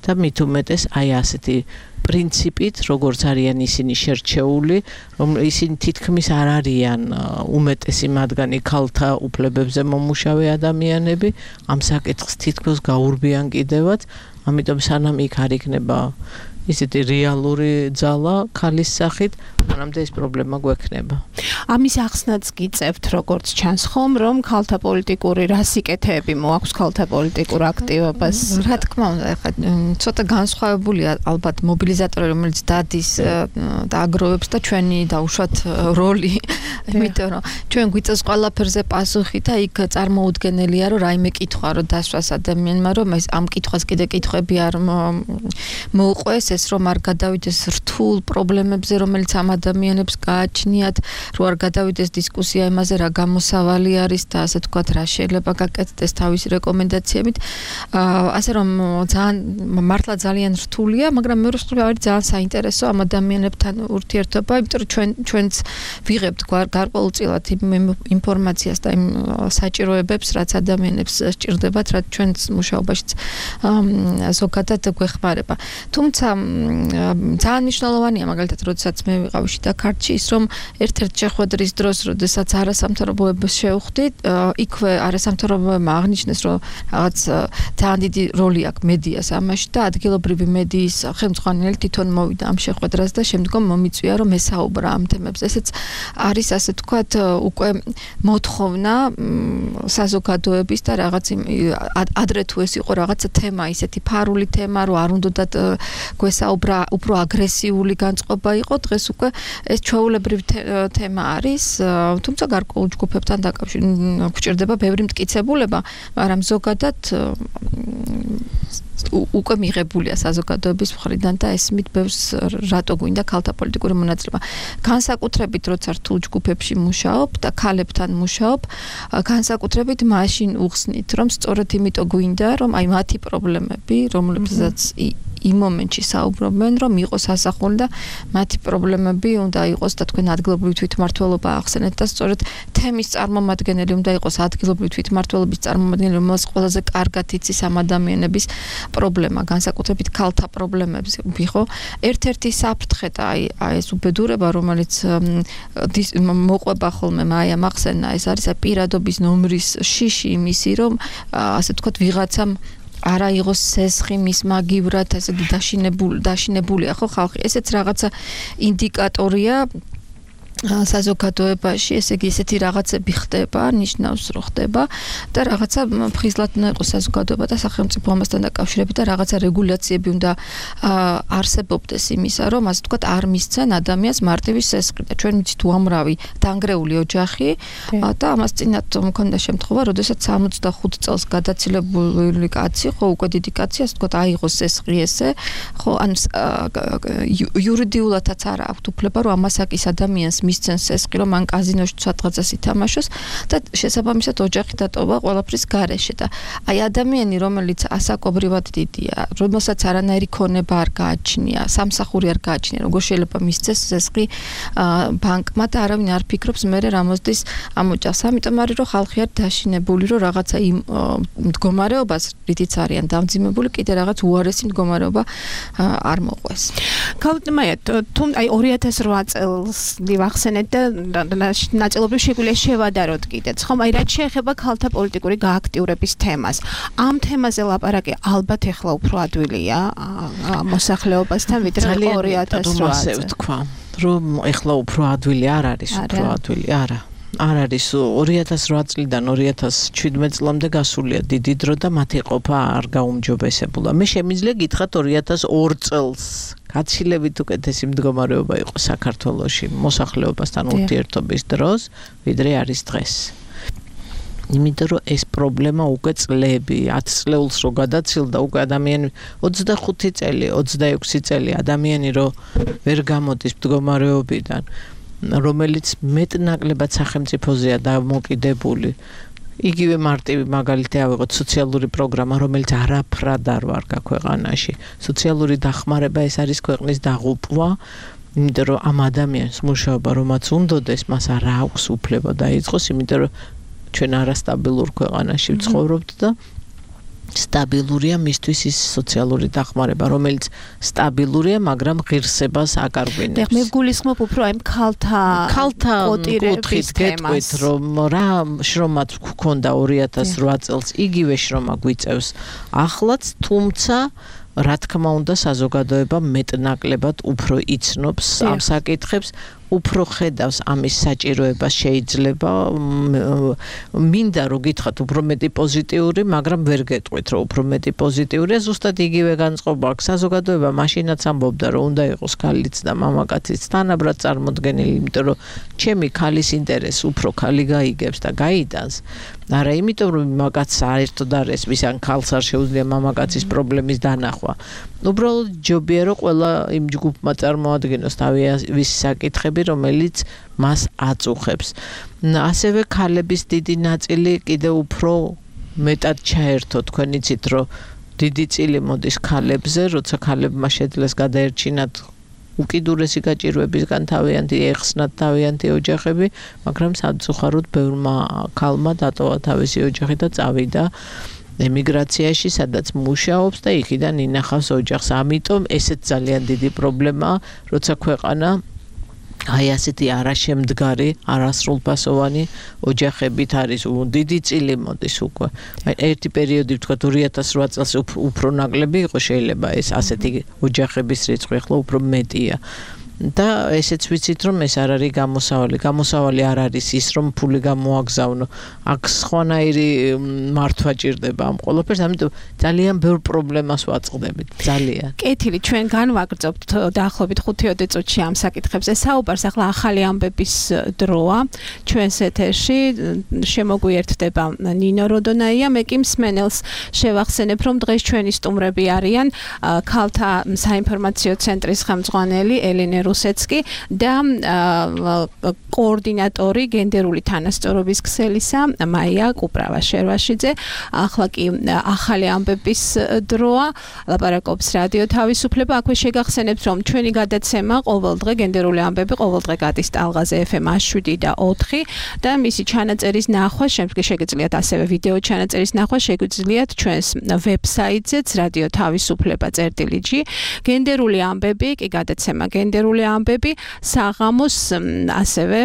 და მით უმეტეს აი ასეთი პრინციპით, როგორც არიან ისინი შერჩეული, რომ ისინი თითქმის არ არიან უმეტესი მათგანი ქალთა უფლებებზე მომუშავე ადამიანები, ამ საკითხს თითქოს გაურბიან კიდევაც, ამიტომ სანამ იქ არ იქნება ისეთი რეალური ძალა ქალის სახით, მანამდე ეს პრობლემა გვექნება. ამის ახსნაც გიწევთ, როგორც ჩანს ხომ, რომ ქალთა პოლიტიკური რასიკეთეები მოაქვს ქალთა პოლიტიკურ აქტივობას. რა თქმა უნდა, ახლა ცოტა განსხვავებულია ალბათ მობილიზატორი, რომელიც დადის და აგროვებს და ჩვენი დაუშვათ როლი, იმიტომ რომ ჩვენ გვიწევს ყველაფერზე პასუხი და იქ წარმოუდგენელია, რომ რაიმე კითხვა რო დასვას ადამიანმა, რომ ეს ამ კითხვას კიდე კითხვები არ მოუყვეს, ეს რომ არ გადავიდეს რთულ პრობლემებზე, რომელიც ამ ადამიანებს გააჩნიათ, რომ არ გადავიდეს დისკუსია იმაზე, რა გამოსავალი არის და ასე თქვათ, რა შეიძლება გაკეთდეს თავისი რეკომენდაციებით. ასე რომ მართლა ძალიან რთულია, მაგრამ მეორე მხრივ არის ძალიან საინტერესო ამ ადამიანებთან ურთიერთობა, იმიტომ რომ ჩვენც ვიღებთ გარკვეულწილად ინფორმაციას და იმ საჭიროებებს, რაც ადამიანებს სჭირდებათ, რაც ჩვენც მუშაობაშიც ზოგადად გვეხმარება. თუმცა ძალიან მნიშვნელოვანია მაგალითად როდესაც მე ვიყავი შიდა ქართლში ის რომ ერთ-ერთ შეხვედრის დროს როდესაც არასამთავრობოებას შევხვდით იქვე არასამთავრობოებმა აღნიშნეს რომ რაღაც ძალიან დიდი როლი აქვს მედიას ამაში და ადგილობრივი მედიის ხელმძღვანელი თვითონ მოვიდა ამ შეხვედრას და შემდგომ მომიწვია რომ ესაუბრა ამ თემებზე ესეც არის ასე თქვათ უკვე მოთხოვნა საზოგადოების და რაღაც ადრე თუ ეს იყო რაღაცა თემა ისეთი ფარული თემა რომ არ უნდათ გვესაუბრა უფრო აგრესიული განწყობა იყო დღეს უკვე ეს ჩვეულებრივი თემა არის თუმცა გარკვეულ ჯგუფებთან დაკავშირებით გვჭირდება ბევრი მტკიცებულება მაგრამ ზოგადად უკვე მიღებულია საზოგადოების მხრიდან და ესმით ბევრს რატო გვინდა ქალთა პოლიტიკური მონაწილეობა განსაკუთრებით როცა რთულ ჯგუფებში მუშაობ და ქალებთან მუშაობ განსაკუთრებით მაშინ უხსნით რომ სწორედ იმიტომ გვინდა რომ აი მათი პრობლემები რომლებსაც იმ მომენტში საუბრობენ რომ იყოს ასახული და მათი პრობლემები უნდა იყოს და თქვენ ადგილობრივი თვითმმართველობა ახსენეთ და სწორედ თემის წარმომადგენელი უნდა იყოს ადგილობრივი თვითმმართველობის წარმომადგენელი რომელსაც ყველაზე კარგად იცის ამ ადამიანების პრობლემა განსაკუთრებით ქალთა პრობლემებს ვიხო ერთ-ერთი საფრთხე და აი ეს უბედურება რომელიც მოყვება ხოლმე მაია მახსენა ეს არის პირადობის ნომრის შიში იმისი რომ ასე თქვათ ვიღაცამ არა იყოს სესხი მის მაგივრად ასე დაშინებულია ხო ხალხი ესეც რაღაცა ინდიკატორია საზოგადოებაში ესე იგი ესეთი რაღაცები ხდება ნიშნავს რომ ხდება და რაღაცა ფხიზლად უნდა იყოს საზოგადოება და სახელმწიფო ამასთან დაკავშირებით და რაღაცა რეგულაციები უნდა არსებობდეს იმისა რომ ასე ვთქვათ არ მისცენ ადამიანს მარტივი სესხი და ჩვენ ვიცით უამრავი დანგრეული ოჯახი და ამას წინათ მქონდა შემთხვევა როდესაც 65 წელს გადაცილებული კაცი ხო უკვე დიდი კაცი ასე ვთქვათ აიღოს სესხი ესე ხო ან იურიდიულადაც არა აქვს უფლება რომ ამასაკის ადამიანს მისცენ სესხი რომ მან კაზინოში სადღაცას ითამაშოს და შესაბამისად ოჯახი დატოვა ყველაფრის გარეშე და აი ადამიანი რომელიც ასაკობრივად დიდია რომელსაც არანაირი ქონება არ გააჩნია სამსახური არ გააჩნია როგორ შეიძლება მისცეს სესხი ბანკმა და არავინ არ ფიქრობს მერე რა მოსდის ამ ოჯახს ამიტომ არის რომ ხალხი არ დაშინებული რომ რაღაცა იმ მდგომარეობას რითიც არიან დამძიმებული კიდე რაღაც უარესი მდგომარეობა არ მოყვეს ქალთმაია თუ აი 2008 წელს ახსენეთ და ნაწილობრივ შეგვიძლია შევადაროთ კიდეც ხომ აი რაც შეეხება ქალთა პოლიტიკური გააქტიურების თემას ამ თემაზე ლაპარაკი ალბათ ეხლა უფრო ადვილია მოსახლეობასთან ვიდრე 2008 თქვა რომ ეხლა უფრო ადვილი არ არის უფრო ადვილი არა არ არის 2008 წლიდან 2017 წლამდე გასულია დიდი დრო და მათი ყოფა არ გაუმჯობესებულა მე შემიძლია გითხრათ 2002 წელს გაცილებით უკეთესი მდგომარეობა იყო საქართველოში მოსახლეობასთან ურთიერთობის დროს ვიდრე არის დღეს იმიტომ რომ ეს პრობლემა უკვე წლები 10 წლეულს რო გადაცილდა უკვე ადამიანი 25 წელი 26 წელი ადამიანი რო ვერ გამოდის მდგომარეობიდან რომელიც მეტნაკლებად სახელმწიფოზეა დამოკიდებული იგივე მარტივი მაგალითი ავიღოთ სოციალური პროგრამა რომელიც არაფრად არ ვარ ქვეყანაში სოციალური დახმარება ეს არის ქვეყნის დაღუპვა იმიტომ რომ ამ ადამიანს მუშაობა რომაც უნდოდეს მას არ აქვს უფლება დაიწყოს იმიტომ რომ ჩვენ არასტაბილურ ქვეყანაში ვცხოვრობთ და სტაბილურია მისთვის ის სოციალური დახმარება რომელიც სტაბილურია მაგრამ ღირსებას აკარგვინებს მე ვგულისხმობ უფრო აი ქალთა კუთხით გეტყვით რომ რა შრომაც გქონდა 2008 წელს იგივე შრომა გვიწევს ახლაც თუმცა რა თქმა უნდა საზოგადოება მეტნაკლებად უფრო იცნობს ამ საკითხებს უფრო ხედავს ამის საჭიროებას შეიძლება მინდა რომ გითხრათ უფრო მეტი პოზიტიური მაგრამ ვერ გეტყვით რომ უფრო მეტი პოზიტიურია ზუსტად იგივე განწყობა აქვს საზოგადოება მაშინაც ამბობდა რომ უნდა იყოს ქალიც და მამაკაციც თანაბრად წარმოდგენილი იმიტომ რომ ჩემი ქალის ინტერესს უფრო ქალი გაიგებს და გაიტანს არა იმიტომ რომ მამაკაცს საერთოდ არ ესმის ან ქალს არ შეუძლია მამაკაცის პრობლემის დანახვა უბრალოდ ჯობია რომ ყველა იმ ჯგუფმა წარმოადგენოს თავის საკითხები რომელიც მას აწუხებს ასევე ქალების დიდი ნაწილი კიდე უფრო მეტად ჩაერთო თქვენ იცით რომ დიდი წილი მოდის ქალებზე როცა ქალებმა შეძლეს გადაერჩინათ უკიდურესი გაჭირვებისგან თავიანთი ეხსნათ თავიანთი ოჯახები მაგრამ სამწუხაროდ ბევრმა ქალმა დატოვა თავისი ოჯახი და წავიდა ემიგრაციაში, სადაც მუშაობს და იქიდან ინახავს ოჯახს. ამიტომ ესეც ძალიან დიდი პრობლემაა, როცა ქვეყანა აი ასეთი არაშემდგარი, არასრულფასოვანი ოჯახებით არის. დიდი წილი მოდის უკვე. ერთი პერიოდი ვთქვა 2008 წელს უფრო ნაკლები იყო, შეიძლება ეს ასეთი ოჯახების რიცხვი ახლა უფრო მეტია. და ესეც ვიცით რომ ეს არ არის გამოსავალი. გამოსავალი არ არის ის რომ ფული გამოაგზავნო. აქ სხვანაირი მართვა ჭირდება ამ ყველაფერს, ამიტომ ძალიან ბევრ პრობლემას ვაწყდებით. ძალიან. კეთილი, ჩვენ განვაგრძობთ დაახლოებით 5 წუთში ამ საკითხებზე. საუბარს ახლა ახალი ამბების დროა. ჩვენს ეთერში შემოგვიერთდება ნინო როდონაია, მე კი მსმენელს შევახსენებ რომ დღეს ჩვენი სტუმრები არიან ქალთა საინფორმაციო ცენტრის ხელმძღვანელი ელენე რუსეცკი და კოორდინატორი გენდერული თანასწორობის ქსელისა მაია კუპრავა-შერვაშიძე. ახლა კი ახალი ამბების დროა, ლაპარაკობს რადიო თავისუფლება. აქვე შეგახსენებთ რომ ჩვენი გადაცემა ყოველდღე გენდერული ამბები ყოველდღე გადის ტალღაზე FM 7 და 4 და მისი ჩანაწერის ნახვა, შემდგომ შეგიძლიათ ასევე ვიდეო ჩანაწერის ნახვა შეგიძლიათ ჩვენს ვებსაიტზეც რადიო თავისუფლება.gr. გენდერული ამბები კი გადაცემა გენდერული ამბები საღამოს ასევე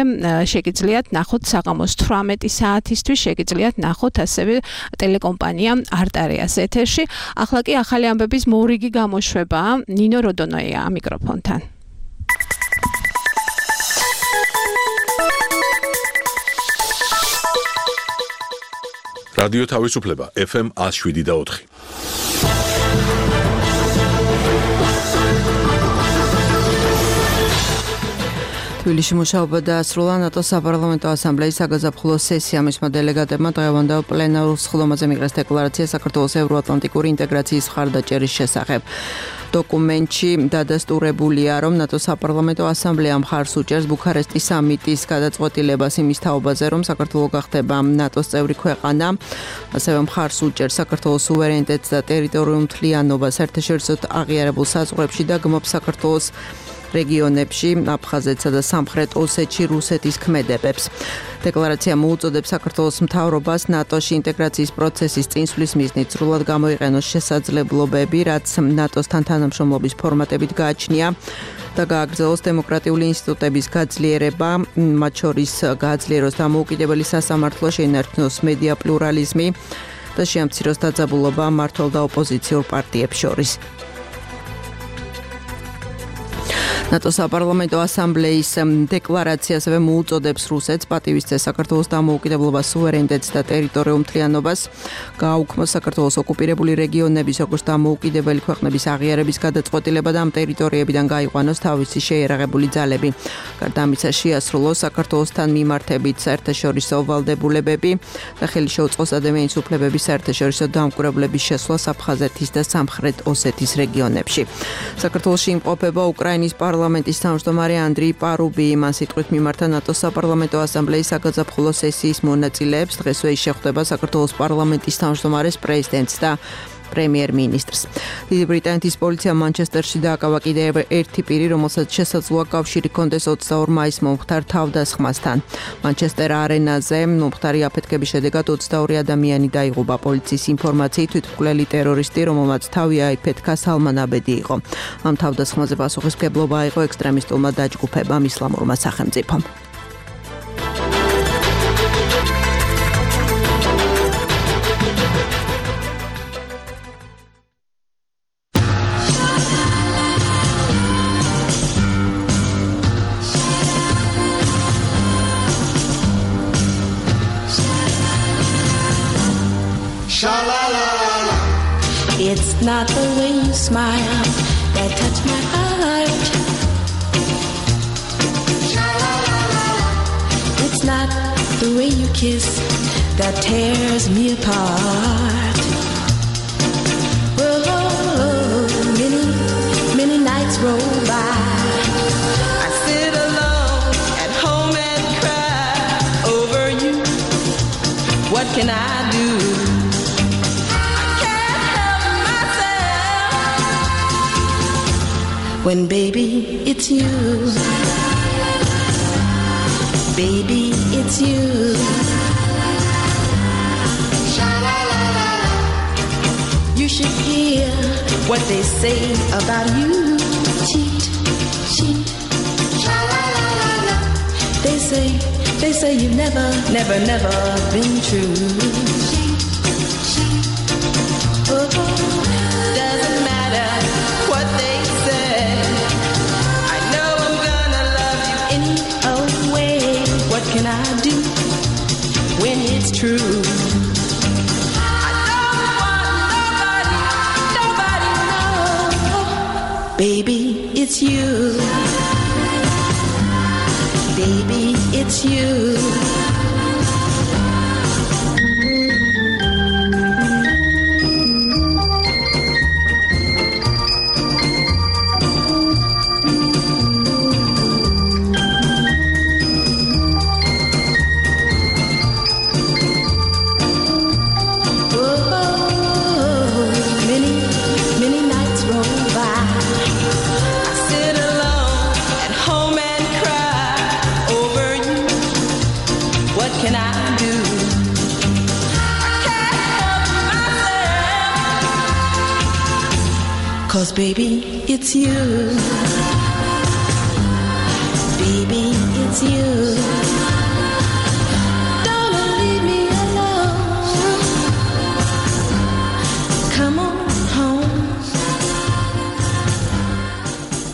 შეგიძლიათ ნახოთ საღამოს 18 საათისთვის შეგიძლიათ ნახოთ ასევე ტელეკომპანია არტარიას ეთერში. ახლა კი ახალი ამბების მორიგი გამოშვება ნინო როდონაია მიკროფონთან. რადიო თავისუფლება FM 107 და 4. თბილისში მუშაობა დაასრულა ნატოს საპარლამენტო ასამბლეის საგაზაფხულო სესია. მისმა დელეგატებმა დღევანდელ პლენარულ სხდომაზე მიიღეს დეკლარაცია საქართველოს ევროატლანტიკური ინტეგრაციის მხარდაჭერის შესახებ. დოკუმენტში დადასტურებულია, რომ ნატოს საპარლამენტო ასამბლეა მხარს უჭერს ბუქარესტის სამიტის გადაწყვეტილებას იმის თაობაზე, რომ საქართველო გახდება ნატოს წევრი ქვეყანა. ასევე მხარს უჭერს საქართველოს სუვერენიტეტს და ტერიტორიულ მთლიანობას საერთაშორისო აღიარებულ საზღვრებში და გმობს საქართველოს რეგიონებში, აფხაზეთსა და სამხრეთ ოსეთში რუსეთის ქმედებებს. დეკლარაცია მოუწოდებს საქართველოს მთავრობას ნატოში ინტეგრაციის პროცესის წინსვლის მიზნით სრულად გამოიყენოს შესაძლებლობები, რაც ნატოსთან თანამშრომლობის ფორმატებით გააჩნია და გააგრძელოს დემოკრატიული ინსტიტუტების გაძლიერება, მათ შორის გააძლიეროს დამოუკიდებელი სასამართლო, შეინარჩუნოს მედია პლურალიზმი და შეამციროს დაძაბულობა მმართველ და ოპოზიციურ პარტიებს შორის. ნატოს საპარლამენტო ასამბლეის დეკლარაცია ასევე მოუწოდებს რუსეთს პატივისცეს საქართველოს დამოუკიდებლობას, სუვერენიტეტს და ტერიტორიულ მთლიანობას, გააუქმოს საქართველოს ოკუპირებული რეგიონების, როგორც დამოუკიდებელი ქვეყნების აღიარების გადაწყვეტილება და ამ ტერიტორიებიდან გაიყვანოს თავისი შეიარაღებული ძალები. გარდა ამისა, შეასრულოს საქართველოსთან მიმართებით საერთაშორისო ვალდებულებები და ხელი შეუწყოს ადამიანის უფლებების საერთაშორისო დამკვირვებლების შესვლას აფხაზეთის და სამხრეთ ოსეთის რეგიონებში. საქართველოში იმყოფება უკრაინის პარლამენტის თავმჯდომარე ანდრეი პარუბი. მან სიტყვით მიმართა ნატოს საპარლამენტო ასამბლეის საგაზაფხულო სესიის მონაწილეებს. დღესვე ის შეხვდება საქართველოს პარლამენტის თავმჯდომარეს, პრეზიდენტს და პრემიერ-მინისტრს. დიდი ბრიტანეთის პოლიციამ მანჩესტერში დააკავა კიდევ ერთი პირი, რომელსაც შესაძლოა კავშირი ჰქონდეს 22 მაისს მომხდარ თავდასხმასთან. მანჩესტერ არენაზე მომხდარი აფეთქების შედეგად 22 ადამიანი დაიღუპა. პოლიციის ინფორმაციით თვითმკვლელი ტერორისტი, რომელმაც თავი აიფეთქა, სალმან აბედი იყო. ამ თავდასხმაზე პასუხისმგებლობა აიღო ექსტრემისტულმა დაჯგუფებამ ისლამურმა სახელმწიფომ. It's not the way you smile that touch my heart. It's not the way you kiss that tears me apart. Oh, many nights roll by. I sit alone at home and cry over you. What can I do? When baby, it's you. Baby, it's you. should hear what they say about you. Cheat, cheat, la la la la la. They say you've never been true. Oh, doesn't matter what they say. I know I'm gonna love you any old way. What can I do when it's true? I don't want nobody know. Baby, it's you. Baby, it's you. Cause baby, it's you. Baby, it's you. Don't leave me alone. Come on home.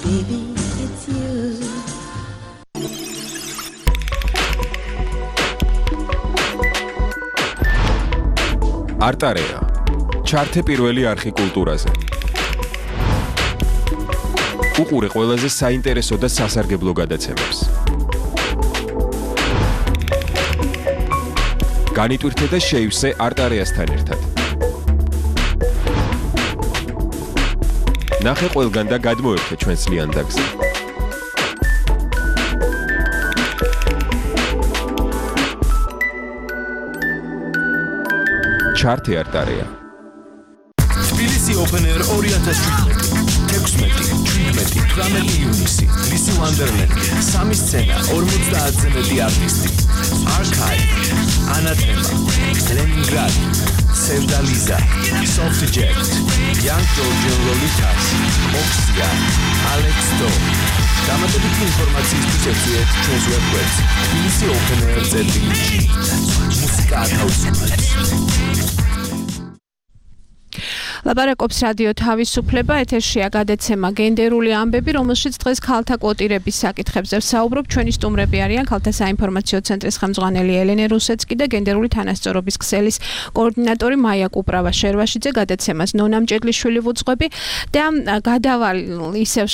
Baby, it's you. არტარეა. ჩართე პირველი არხი კულტურაზე. უყურე ყველაზე საინტერესო და სასარგებლო გადაცემებს. განიტვირთე და შეივსე არტარეასთან ერთად. ნახე ყველგან და გადმოერთე ჩვენს ლიანდაგზე. ჩართე არტარეა. თბილისი Open Air 2017. 16-17 ივნისი ლისი ვანდერლენდი, სამი სცენა, 50-ზე მეტი არტისტი. Archive, Anathema, Leningrad, Sevdaliza, Softjet, Young Georgian Lolitas, Moxia, Alex Do. დამატებითი ინფორმაციისთვის ეწვიეთ ჩვენს ვებგვერდს tbilisi.openair.gr. მუსიკა ათავისუფლებს. ლაპარაკობს რადიო თავისუფლება, ეთერშია გადაცემა გენდერული ამბები, რომელშიც დღეს ქალთა კვოტირების საკითხებზე ვსაუბრობ. ჩვენი სტუმრები არიან ქალთა საინფორმაციო ცენტრის ხელმძღვანელი ელენე რუსეცკი და გენდერული თანასწორობის ქსელის კოორდინატორი მაია კუპრავა-შერვაშიძე. გადაცემას ნონა მჭედლიშვილი ვუძღვები და გადავალ ისევ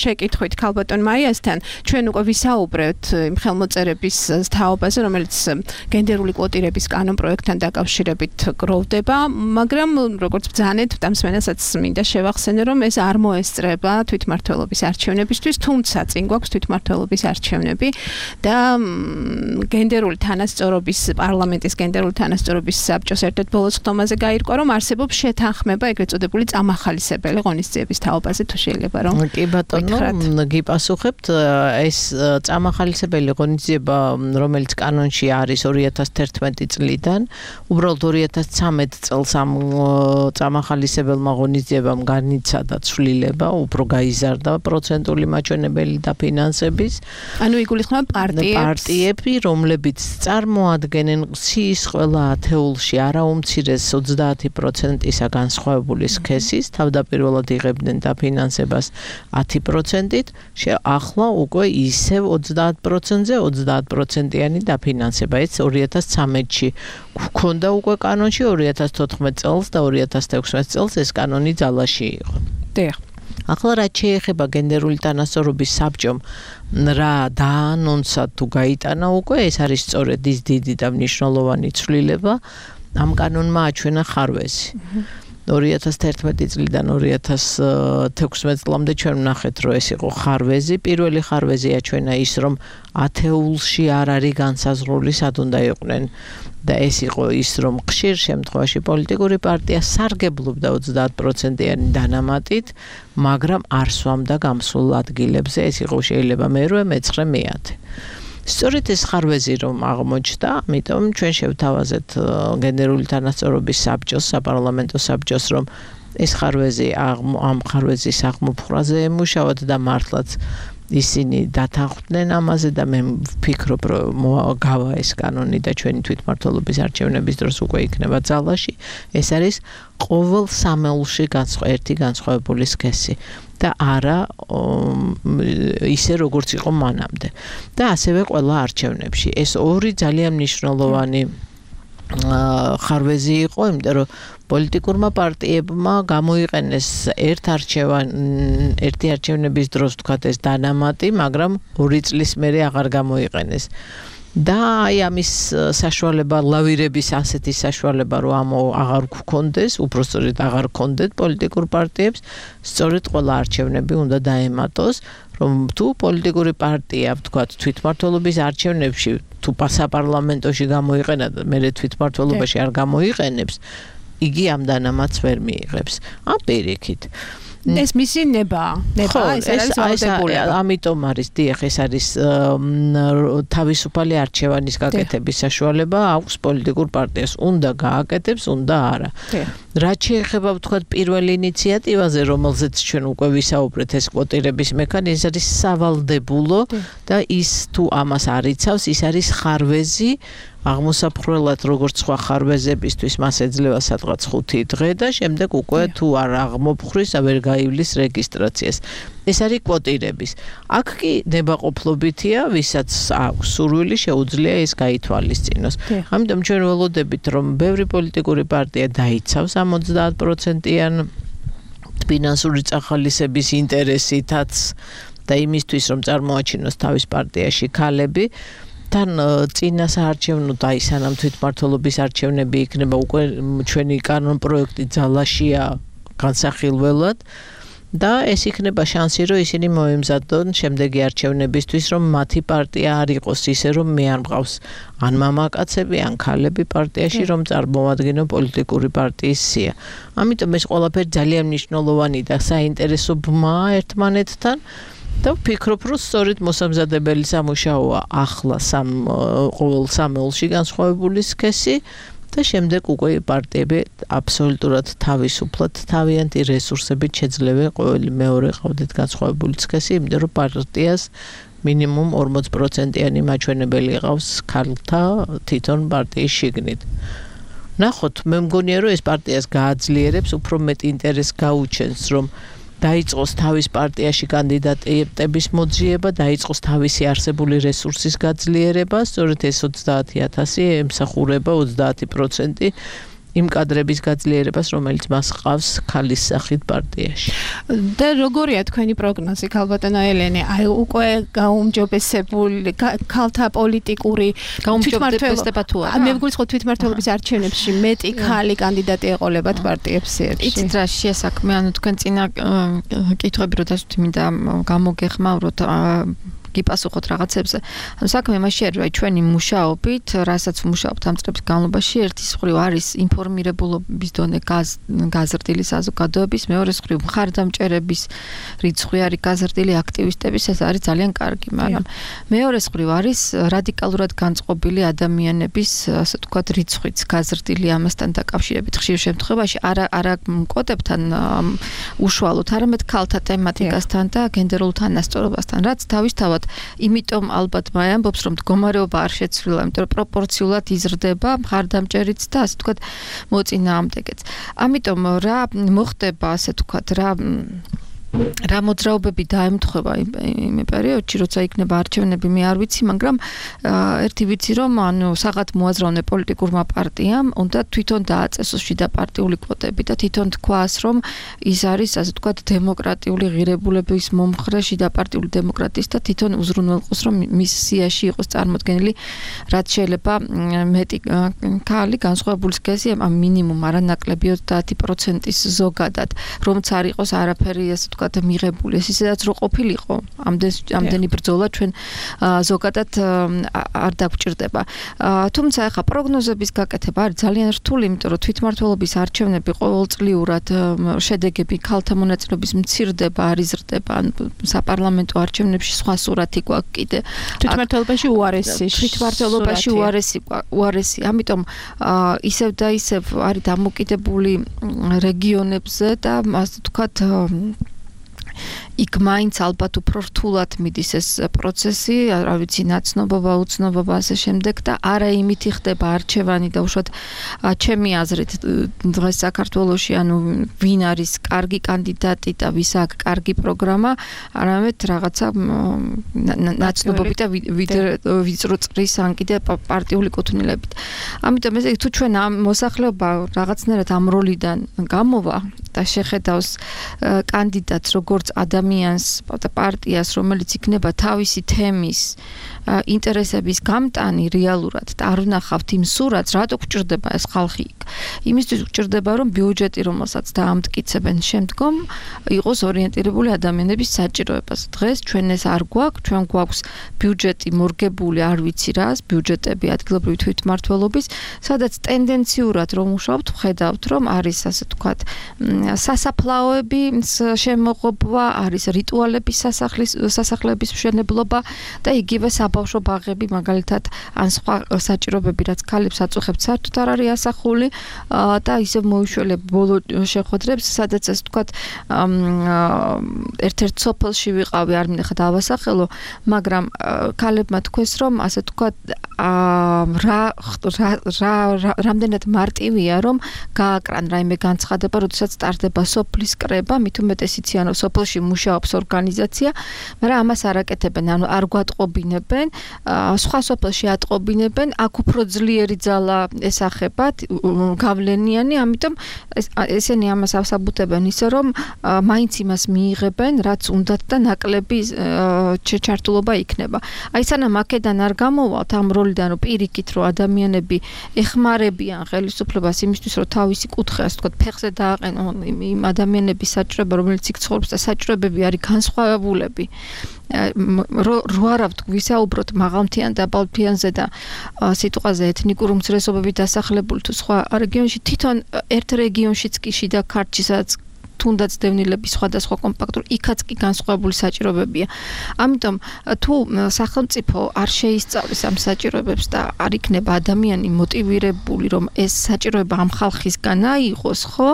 შეკითხვით ქალბატონ მაიასთან. ჩვენ უკვე ვისაუბრეთ იმ ხელმოწერების თაობაზე, რომელიც გენდერული კვოტირების კანონპროექტთან დაკავშირებით გროვდება, მაგრამ როგორც ბრძანეთ დამსვენასაც მინდა შევახსენე, რომ ეს არ მოესწრება თვითმმართველობის არჩევნებისთვის, თუმცა წინ გვაქვს თვითმმართველობის არჩევნები და გენდერული თანასწორობის პარლამენტის გენდერული თანასწორობის საბჭოს ერთ-ერთ ბოლო ხდომაზე გაირკვა, რომ არსებობს შეთანხმება ეგრეთ წოდებული წამახალისებელი ღონისძიების თაობაზე, თუ შეიძლება რომ კი ბატონო, გიპასუხებთ, ეს წამახალისებელი ღონისძიება, რომელიც კანონში არის 2011 წლიდან, უბრალოდ 2013 წელს ამ წამახალისებელმა ღონისძიებამ განიცადა ცვლილება, უფრო გაიზარდა პროცენტული მაჩვენებელი დაფინანსების. ანუ იგულისხმება პარტიები, რომლებიც წარმოადგენენ სიის ყველა ათეულში არაუმცირეს 30%-ისა განსხვავებული სქესის, თავდაპირველად იღებდნენ დაფინანსებას 10%-ით, ახლა უკვე ისევ 30%-ზე 30%-იანი დაფინანსება. ეს 2013-ში გვქონდა უკვე კანონში, 2014 წელს და 2016 წელს ეს კანონი ძალაში იყო. დიახ. ახლა რაც შეეხება გენდერული თანასწორობის საბჭომ რა დაანონსა თუ გაიტანა უკვე, ეს არის სწორედ ის დიდი და მნიშვნელოვანი ცვლილება. ამ კანონმა აჩვენა ხარვეზი. 2011 წლიდან 2016 წლამდე ჩვენ ვნახეთ, რომ ეს იყო ხარვეზი. პირველი ხარვეზი აჩვენა ის, რომ ათეულში არ არის განსაზღვრული სად უნდა იყვნენ და ეს იყო ის, რომ ხშირ შემთხვევაში პოლიტიკური პარტია სარგებლობდა 30%-იანი დანამატით, მაგრამ არ სვამდა გამსულ ადგილებზე. ეს იყო შეიძლება მე-8, მე-9, მე-10. სწორედ ეს ხარვეზი რომ აღმოჩნდა, ამიტომ ჩვენ შევთავაზეთ გენდერული თანასწორობის საბჭოს, საპარლამენტო საბჭოს, რომ ეს ხარვეზი ამ ხარვეზის აღმოფხვრაზე ემუშავათ და მართლაც ისინი დათანხმდნენ ამაზე და მე ვფიქრობ რომ გავა ეს კანონი და ჩვენი თვითმმართველობის არჩევნების დროს უკვე იქნება ძალაში. ეს არის ყოველ სამეულში ერთი განსხვავებული სქესი და არა ისე როგორც იყო მანამდე. და ასევე ყველა არჩევნებში. ეს ორი ძალიან მნიშვნელოვანი ხარვეზი იყო, იმიტომ რომ პოლიტიკურმა პარტიებმა გამოიყენეს ერთი არჩევნების დროს თქვათ ეს დანამატი, მაგრამ 2 წლის მერე აღარ გამოიყენეს. და აი ამის საშუალება ლავირების ასეთი საშუალება რომ ამ აღარ გქონდეს, უბრალოდ აღარ გქონდეთ პოლიტიკურ პარტიებს, სწორედ ყველა არჩევნები უნდა დაემატოს, რომ თუ პოლიტიკური პარტია, თქვათ, თვითმმართველობის არჩევნებში თუ საპარლამენტოში გამოიყენა და მე თვითმმართველობაში არ გამოიყენებს, იგი ამ დანამატს ვერ მიიღებს. ამ პირიქით. ეს მისი ნება ეს არის ამიტომ არის დიახ ეს არის თავისუფალი არჩევანის გაკეთების საშუალება აქვს პოლიტიკურ პარტიას უნდა გააკეთებს უნდა არა რაც შეეხება ვთქვათ პირველ ინიციატივაზე რომელზეც ჩვენ უკვე ვისაუბრეთ ეს კვოტირების მექანიზმი არის სავალდებულო და ის თუ ამას არ იცავს ის არის ხარვეზი აღმოსაფხრელად როგორც სხვა ხარვეზებისთვის მას ეძლევა სადღაც 5 დღე და შემდეგ უკვე თუ არ აღმოფხვრის ვერ გაივლის რეგისტრაციას. ეს არის კვოტირების. აქ კი ნებაყოფლობითია, ვისაც აქვს სურვილი შეუძლია ეს გაითვალისწინოს. ამიტომ ჩვენ ველოდებით რომ ბევრი პოლიტიკური პარტია დაიცავს ამ 30%-იან ფინანსური წახალისების ინტერესითაც და იმისთვის რომ წარმოაჩინოს თავის პარტიაში ქალები თან წინა საარჩევნო და აი სანამ თვითმმართველობის არჩევნები იქნება უკვე ჩვენი კანონ პროექტი ძალაშია განსახილველად და ეს იქნება შანსი რომ ისინი მოემზადონ შემდეგი არჩევნებისთვის რომ მათი პარტია არ იყოს ისე რომ მე არ მყავს ან მამაკაცები ან ქალები პარტიაში რომ წარმოადგინო პოლიტიკური პარტიის სია. ამიტომ ეს ყველაფერი ძალიან მნიშვნელოვანი და საინტერესო ბმაა ერთმანეთთან და ვფიქრობ, რომ სწორედ მოსამზადებელი სამუშაოა ახლა ყოველ სამეულში განსხვავებული სქესი და შემდეგ უკვე პარტიები აბსოლუტურად თავისუფლად თავიანთი რესურსებით შეძლება ყოველი მეორე ყავდეთ განსხვავებული სქესი, იმიტომ რომ პარტიას მინიმუმ 40%-იანი მაჩვენებელი ყავს ქალთა თვითონ პარტიის შიგნით. ნახოთ, მე მგონია, რომ ეს პარტიას გააძლიერებს, უფრო მეტ ინტერესს გაუჩენს, რომ დაიწყოს თავის პარტიაში კანდიდატების მოძიება, დაიწყოს თავისი არსებული რესურსის გაძლიერება, სწორედ ეს 30,000 ემსახურება 30% იმ კადრების გაძლიერებას, რომელიც მას ყავს ქალის სახით პარტიაში. და როგორია თქვენი პროგნოზი, ქალბატონო ელენე? აი უკვე გაუმჯობესებული ქალთა პოლიტიკური გაუმჯობესება თუ არა? მე ვგულისხმობ თვითმმართველობის არჩევნებში მეტი ქალი კანდიდატი ეყოლებათ პარტიებს ერთში. იცით რა შესაქმე, ანუ თქვენ წინა კითხვები რო დასვით მინდა გამოგეხმაუროთ გიპასუხოთ რაღაცებზე. ანუ საქმე მასშია, რომ ჩვენი მუშაობით, რასაც ვმუშაობთ ამ წლების განმავლობაში, ერთის მხრივ არის ინფორმირებულობის დონე გაზრდილი საზოგადოების, მეორეს მხრივ მხარდამჭერების რიცხვი არის გაზრდილი აქტივისტების, ეს არის ძალიან კარგი, მაგრამ მეორეს მხრივ არის რადიკალურად განწყობილი ადამიანების, ასე ვთქვათ, რიცხვიც გაზრდილი ამასთან დაკავშირებით. ხშირ შემთხვევაში არა მკოდებთან უშუალოდ, არამედ ქალთა თემატიკასთან და გენდერულ თანასწორობასთან, რაც თავისთავად იმიტომ ალბათ მე ამბობს რომ მდგომარეობა არ შეცვლილა, იმიტომ რომ პროპორციულად იზრდება მხარდამჭერიც და ასე ვთქვათ მოწინააღმდეგეც. ამიტომ რა მოხდება, ასე ვთქვათ, რა მოძრაობები დაემთხვევა იმ პერიოდში, როცა იქნება არჩევნები, მე არ ვიცი, მაგრამ ერთი ვიცი, რომ ანუ საღად მოაზროვნე პოლიტიკურმა პარტიამ უნდა თვითონ დააწესოს შიდა პარტიული კვოტები და თვითონ თქვას, რომ ის არის, ასე ვთქვათ, დემოკრატიული ღირებულების მომხრე შიდა პარტიული დემოკრატიის და თვითონ უზრუნველყოს, რომ მის სიაში იყოს წარმოდგენილი, რაც შეიძლება მეტი ქალი განსხვავებული სქესი, მინიმუმ არანაკლები 30%-ის ზოგადად, რომც არ იყოს არაფერი, ასე ვთქვათ, თქვა მიღებული ეს ისედაც რო ყოფილიყო ამდენი ბრძოლა ჩვენ ზოგადად არ დაგჭირდება თუმცა ახლა პროგნოზების გაკეთება არის ძალიან რთული იმიტომ რომ თვითმმართველობის არჩევნები ყოველწლიურად შედეგები ქალთა მონაწილეობის მცირდება არ იზრდება საპარლამენტო არჩევნებში სხვა სურათი გვაქვს კიდე თვითმმართველობაში უარესი ამიტომ ისევ და ისევ არის დამოკიდებული რეგიონებზე და ასე ვთქვათ იქ მაინც ალბათ უფრო რთულად მიდის ეს პროცესი, რა ვიცი, ნაცნობობა, უცნობობა ასე შემდეგ და არა იმით ხდება არჩევანი და უშუალოდ ჩემი აზრით დღეს საქართველოში ანუ ვინ არის კარგი კანდიდატი და ვის აქვს კარგი პროგრამა, არამედ რაღაცა ნაცნობობით და ვიწრო წრის ან კიდე პარტიული კუთვნილებით. ამიტომ ესე თუ ჩვენ ამ მოსახლეობა რაღაცნაირად ამ როლიდან გამოვა და შეხედავს კანდიდატს როგორც ადამიანს და პარტიას, რომელიც იქნება თავისი თემის ინტერესების გამტანი რეალურად და არ ვნახავთ იმ სურათს, რატო გჭირდება ეს ხალხი იქ. იმისთვის გჭირდება, რომ ბიუჯეტი, რომელსაც დაამტკიცებენ შემდგომ, იყოს ორიენტირებული ადამიანების საჭიროებას. დღეს ჩვენ ეს არ გვაქვს, ჩვენ გვაქვს ბიუჯეტი მორგებული, არ ვიცი რას, ბიუჯეტები ადგილობრივი თვითმმართველობის, სადაც ტენდენციურად რომ ვმუშაობთ, ვხედავთ, რომ არის ასე ვთქვათ, სასაფლაოების შემოღობა, არის რიტუალების სასახლეების მშენებლობა და იგივე საბავშვო ბაღები მაგალითად ან სხვა საჭიროებები რაც ქალებს აწუხებთ საერთოდ არ არის ასახული და ისევ მოიშველებ ბოლო შეხვედრებს სადაც ასე ვთქვათ ერთ-ერთ სოფელში ვიყავი არ მინახა დავასახელო მაგრამ ქალებმა თქვეს რომ ასე ვთქვათ რამდენად მარტივია რომ გააკრან რაიმე განცხადება როდესაც სტარტდება სოფლის კრება მით უმეტეს იციან რომ სოფელში მუშაობს ორგანიზაცია მაგრამ ამას არ აკეთებენ ანუ არ გვატყობინებენ სხვა სოფელში ატყობინებენ აქ უფრო ძლიერი ძალა ესახებათ გავლენიანი ამიტომ ესენი ამას ასაბუთებენ ისე რომ მაინც იმას მიიღებენ რაც უნდათ და ნაკლები ჩართულობა იქნება აი სანამ აქედან არ გამოვალთ ამ როლიდან რომ პირიქით რომ ადამიანები ეხმარებიან ხელისუფლებას იმისთვის რომ თავისი კუთხე ასე ვთქვათ ფეხზე დააყენონ იმ ადამიანების საჭიროება რომელიც იქ ცხოვრობს და საჭიროებები არის განსხვავებულები რო არა ვისაუბროთ მაღალმთიან და დაბალმთიანზე და სიტყვაზე ეთნიკური უმცირესობები დასახლებული თუ სხვა რეგიონში თვითონ ერთ რეგიონშიც კი შიდა ქართლში სადაც თუნდაც დევნილების სხვადასხვა კომპაქტური იქაც კი განსხვავებული საჭიროებებია. ამიტომ თუ სახელმწიფო არ შეისწავლის ამ საჭიროებებს და არ იქნება ადამიანი მოტივირებული რომ ეს საჭიროება ამ ხალხისგან აიღოს, ხო?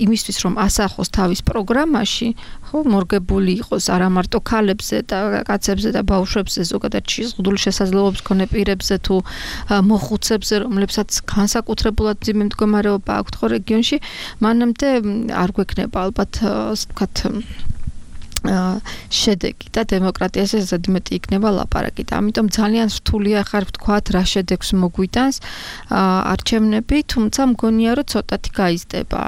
იმისთვის რომ ასახოს თავის პროგრამაში, ხო, მორგებული იყოს არა მარტო ქალებზე და კაცებზე და ბავშვებზე, ზოგადად შეზღუდული შესაძლებლობების მქონე პირებზე თუ მოხუცებზე, რომლებსაც განსაკუთრებულად მძიმე მდგომარეობა აქვთ ხო რეგიონში, მანამდე არ გვექნება ალბათ ასე ვთქვათ შედეგი და დემოკრატიაზე ზედმეტი იქნება ლაპარაკი და ამიტომ ძალიან რთულია ხარ ვთქვათ რა შედეგს მოგვიტანს არჩევნები თუმცა მგონია რომ ცოტათი გაიზრდება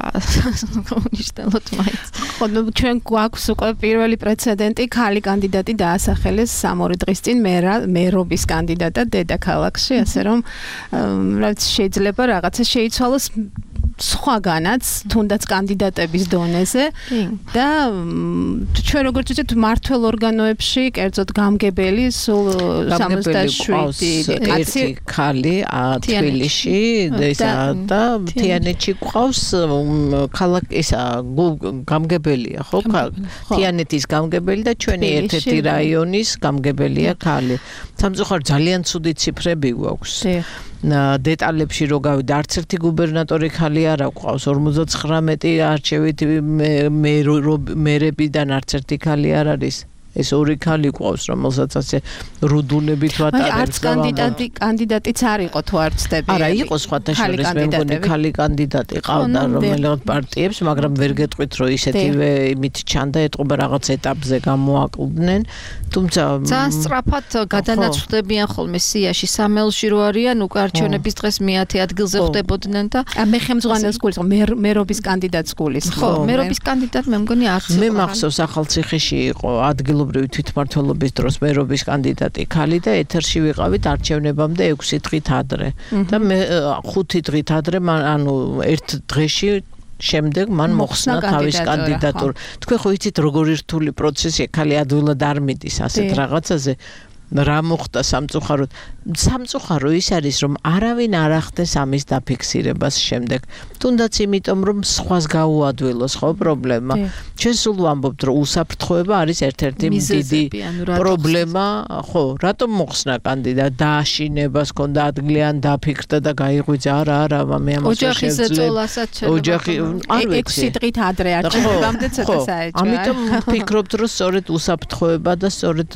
უნიშნელოდ მაინც ხო ჩვენ გვაქვს უკვე პირველი პრეცედენტი ქალი კანდიდატი დაასახელეს 3 დღის წინ მერობის კანდიდატად დედაქალაქში ასე რომ რაც შეიძლება რაღაცა შეიცვალოს სხვაგანაც თუნდაც კანდიდატების დონეზე და ჩვენ როგორც ვთქვით მართლ ორგანოებში კერძოდ გამგებელი სულ 67 კაცი ქალი თბილისში და თიანეთში ყავს ისა გამგებელია ხო თიანეთის გამგებელი და ჩვენი ერთ-ერთი რაიონის გამგებელია ქალი სამწუხაროდ ძალიან ცუდი ციფრები გვაქვს დეტალებში რო გავიდე არც ერთი გუბერნატორი ქალი არ აქვს 59 არჩევით მერებიდან არც ერთი ქალი არ არის ეს ორი ქალი ყავს რომელსაც ასე რუდუნებით ვატარებს და კანდიდატიც არ იყო თუ არ ცდები არა იყო სხვათა შორის მე მგონი ქალი კანდიდატი ყავდა რომელიღაც პარტიებს მაგრამ ვერ გეტყვით რომ ისეთივე იმით ჩანდა ეტყობა რაღაც ეტაპზე გამოაკლდნენ თუმცა ძალიან სწრაფად გადანაცვლებიან ხოლმე სიაში სამელში რო არიან უკვე არჩევნების დღეს მე-10 ადგილზე ხვდებოდნენ და მე ხელმძღვანელს გულის მერობის კანდიდატს გულის ხო მერობის კანდიდატი მე მგონი არც მე მახსოვს ახალციხეში იყო ადგილობრივი თვითმმართველობის დროს მერობის კანდიდატი ქალი და ეთერში ვიყავით არჩევნებამდე 6 დღით ადრე და მე 5 დღით ადრე ანუ ერთ დღეში შემდეგ მან მოხსნა თავის კანდიდატურა. თქვენ ხო იცით როგორი რთული პროცესია, ხალი ადვილად არ მიდის ასეთ რაღაცაზე. რა მოხდა სამწუხაროდ? სამწუხარო ის არის, რომ არავინ არ ახდენს ამის დაფიქსირებას შემდეგ. თუნდაც იმიტომ, რომ სხვას გაუადვილოს ხო პრობლემა. ჩვენ სულ ვამბობთ, რომ უსაფრთხოება არის ერთ-ერთი დიდი პრობლემა, ხო, რატომ მოხსნა კანდიდატი? დააშინებას ჰქონდა ადგილი ან დაფიქრდა და გაიღვიძა? არა, მე ამას ვერ შეძლებ. ოჯახი არ ვიცი. 6 დღით ადრე არჩევნებამდე ცოტა საეჭვია. ამიტომ ვფიქრობთ, რომ სწორედ უსაფრთხოება და სწორედ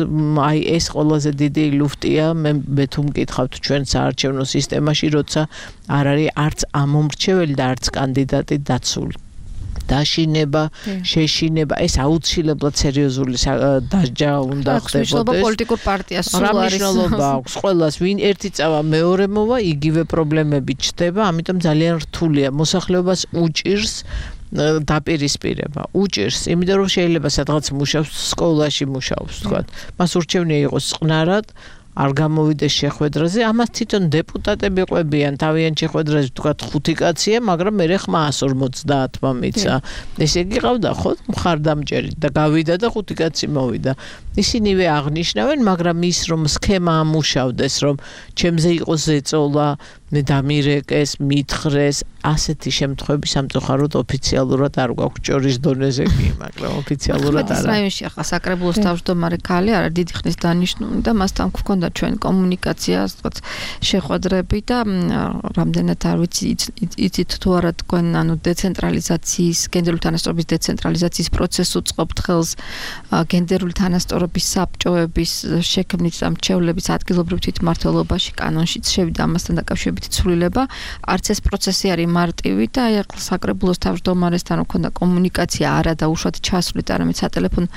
აი ეს ყველაზე დიდი ლუფტია მე თუ მკითხავთ ჩვენ საარჩევნო სისტემაში, როცა არ არის არც ამომრჩეველი და არც კანდიდატი დაცული. დაშინება, შეშინება, ეს აუცილებლად სერიოზული დასჯა უნდა ხდებოდეს. მნიშვნელობა პოლიტიკურ პარტიას სულ არის. რა მნიშვნელობა აქვს ყველას, ვინ ერთი წავა მეორე მოვა, იგივე პრობლემები ჩდება, ამიტომ ძალიან რთულია. მოსახლეობას უჭირს დაპირისპირება, უჭირს, იმიტომ რომ შეიძლება სადღაც მუშაობს, სკოლაში მუშაობს, თქვა. მას ურჩევნია იყოს წყნარად, არ გამოვიდეს შეხვედრაზე, ამას თვითონ დეპუტატები ყვებიან, თავიანთ შეხვედრაზე თქვა 5 კაცია, მაგრამ მე ხმა 150-მა მიცა. ესე იგი ყავდა ხო მხარდამჭერი და გავიდა და 5 კაცი მოვიდა. ისინივე აღნიშნავენ, მაგრამ ის რომ სქემა ამუშავდეს, რომ ჩემზე იყოს ზეწოლა, მე დამირეკეს, მითხრეს, ასეთი შემთხვევები სამწუხაროდ ოფიციალურად არ გვაქვს ჭორის დონეზე კი, მაგრამ ოფიციალურად არა. რაიონში ახლა საკრებულოს თავმჯდომარე ქალი არა დიდი ხნის დანიშნული და მასთან გვქონდა ჩვენ კომუნიკაცია, ასე შეხვედრები და რამდენად არ ვიცი იცით თუ არა თქვენ ანუ დეცენტრალიზაციის, გენდერული თანასწორობის დეცენტრალიზაციის პროცესს უწყობთ ხელს გენდერული თანასწორობის საბჭოების შექმნით და მრჩევლების ადგილობრივ თვითმმართველობაში კანონშიც შევიდა ამასთან დაკავშირებით ცვლილება. არც ეს პროცესი არის მარტივი და აი ახლა საკრებულოს თავმჯდომარესთან მქონდა კომუნიკაცია არა და უშუალოდ ჩასვლით, არამედ სატელეფონო